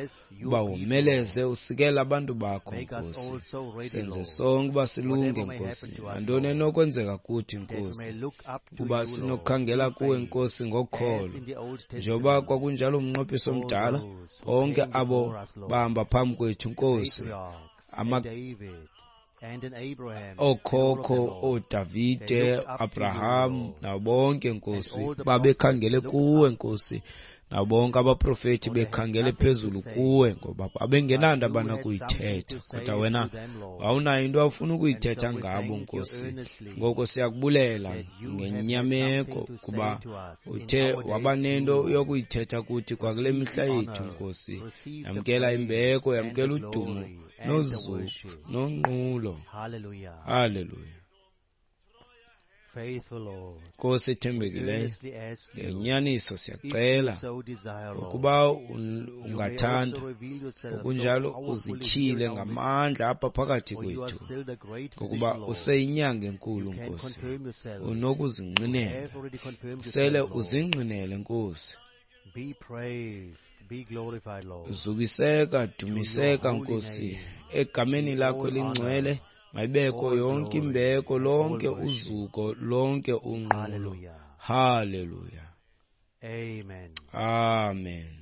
uba womeleze usikele abantu bakho, Nkosi. Senze sonke uba silunge, Nkosi. Nantoni enokwenzeka kuthi, Nkosi, kuba sinokukhangela kuwe, Nkosi, ngokholo, njengoba kwakunjalo umnqophiso omdala. Bonke abo bahamba phambi kwethu, Nkosi, ookhokho ooDavide, Abraham nabo bonke, Nkosi, babekhangele kuwe, Nkosi, nabo bonke abaprofethi bekhangele phezulu kuwe, ngoba babengenanto abanakuyithetha, kodwa wena wawunayo into awufuna ukuyithetha ngabo, Nkosi. Ngoko siyakubulela ngenyameko kuba uthe waba nento yokuyithetha kuthi kwakule mihla yethu, Nkosi. Yamkela imbeko, yamkela udumo nozuko nonqulo. Haleluya. Nkosi ethembekileyo, ngenyaniso siyacela ukuba ungathanda ngokunjalo uzityhile ngamandla apha phakathi kwethu, ngokuba useyinyanga enkulu, Nkosi. Unokuzingqinela, sele uzingqinele, Nkosi. Be praised, be glorified, Lord. Zukiseka, dumiseka Nkosi, egameni lakho elingcwele mayibekho yonke imbeko, lonke uzuko, lonke unqulo. Hallelujah. Haleluya. Amen. Amen.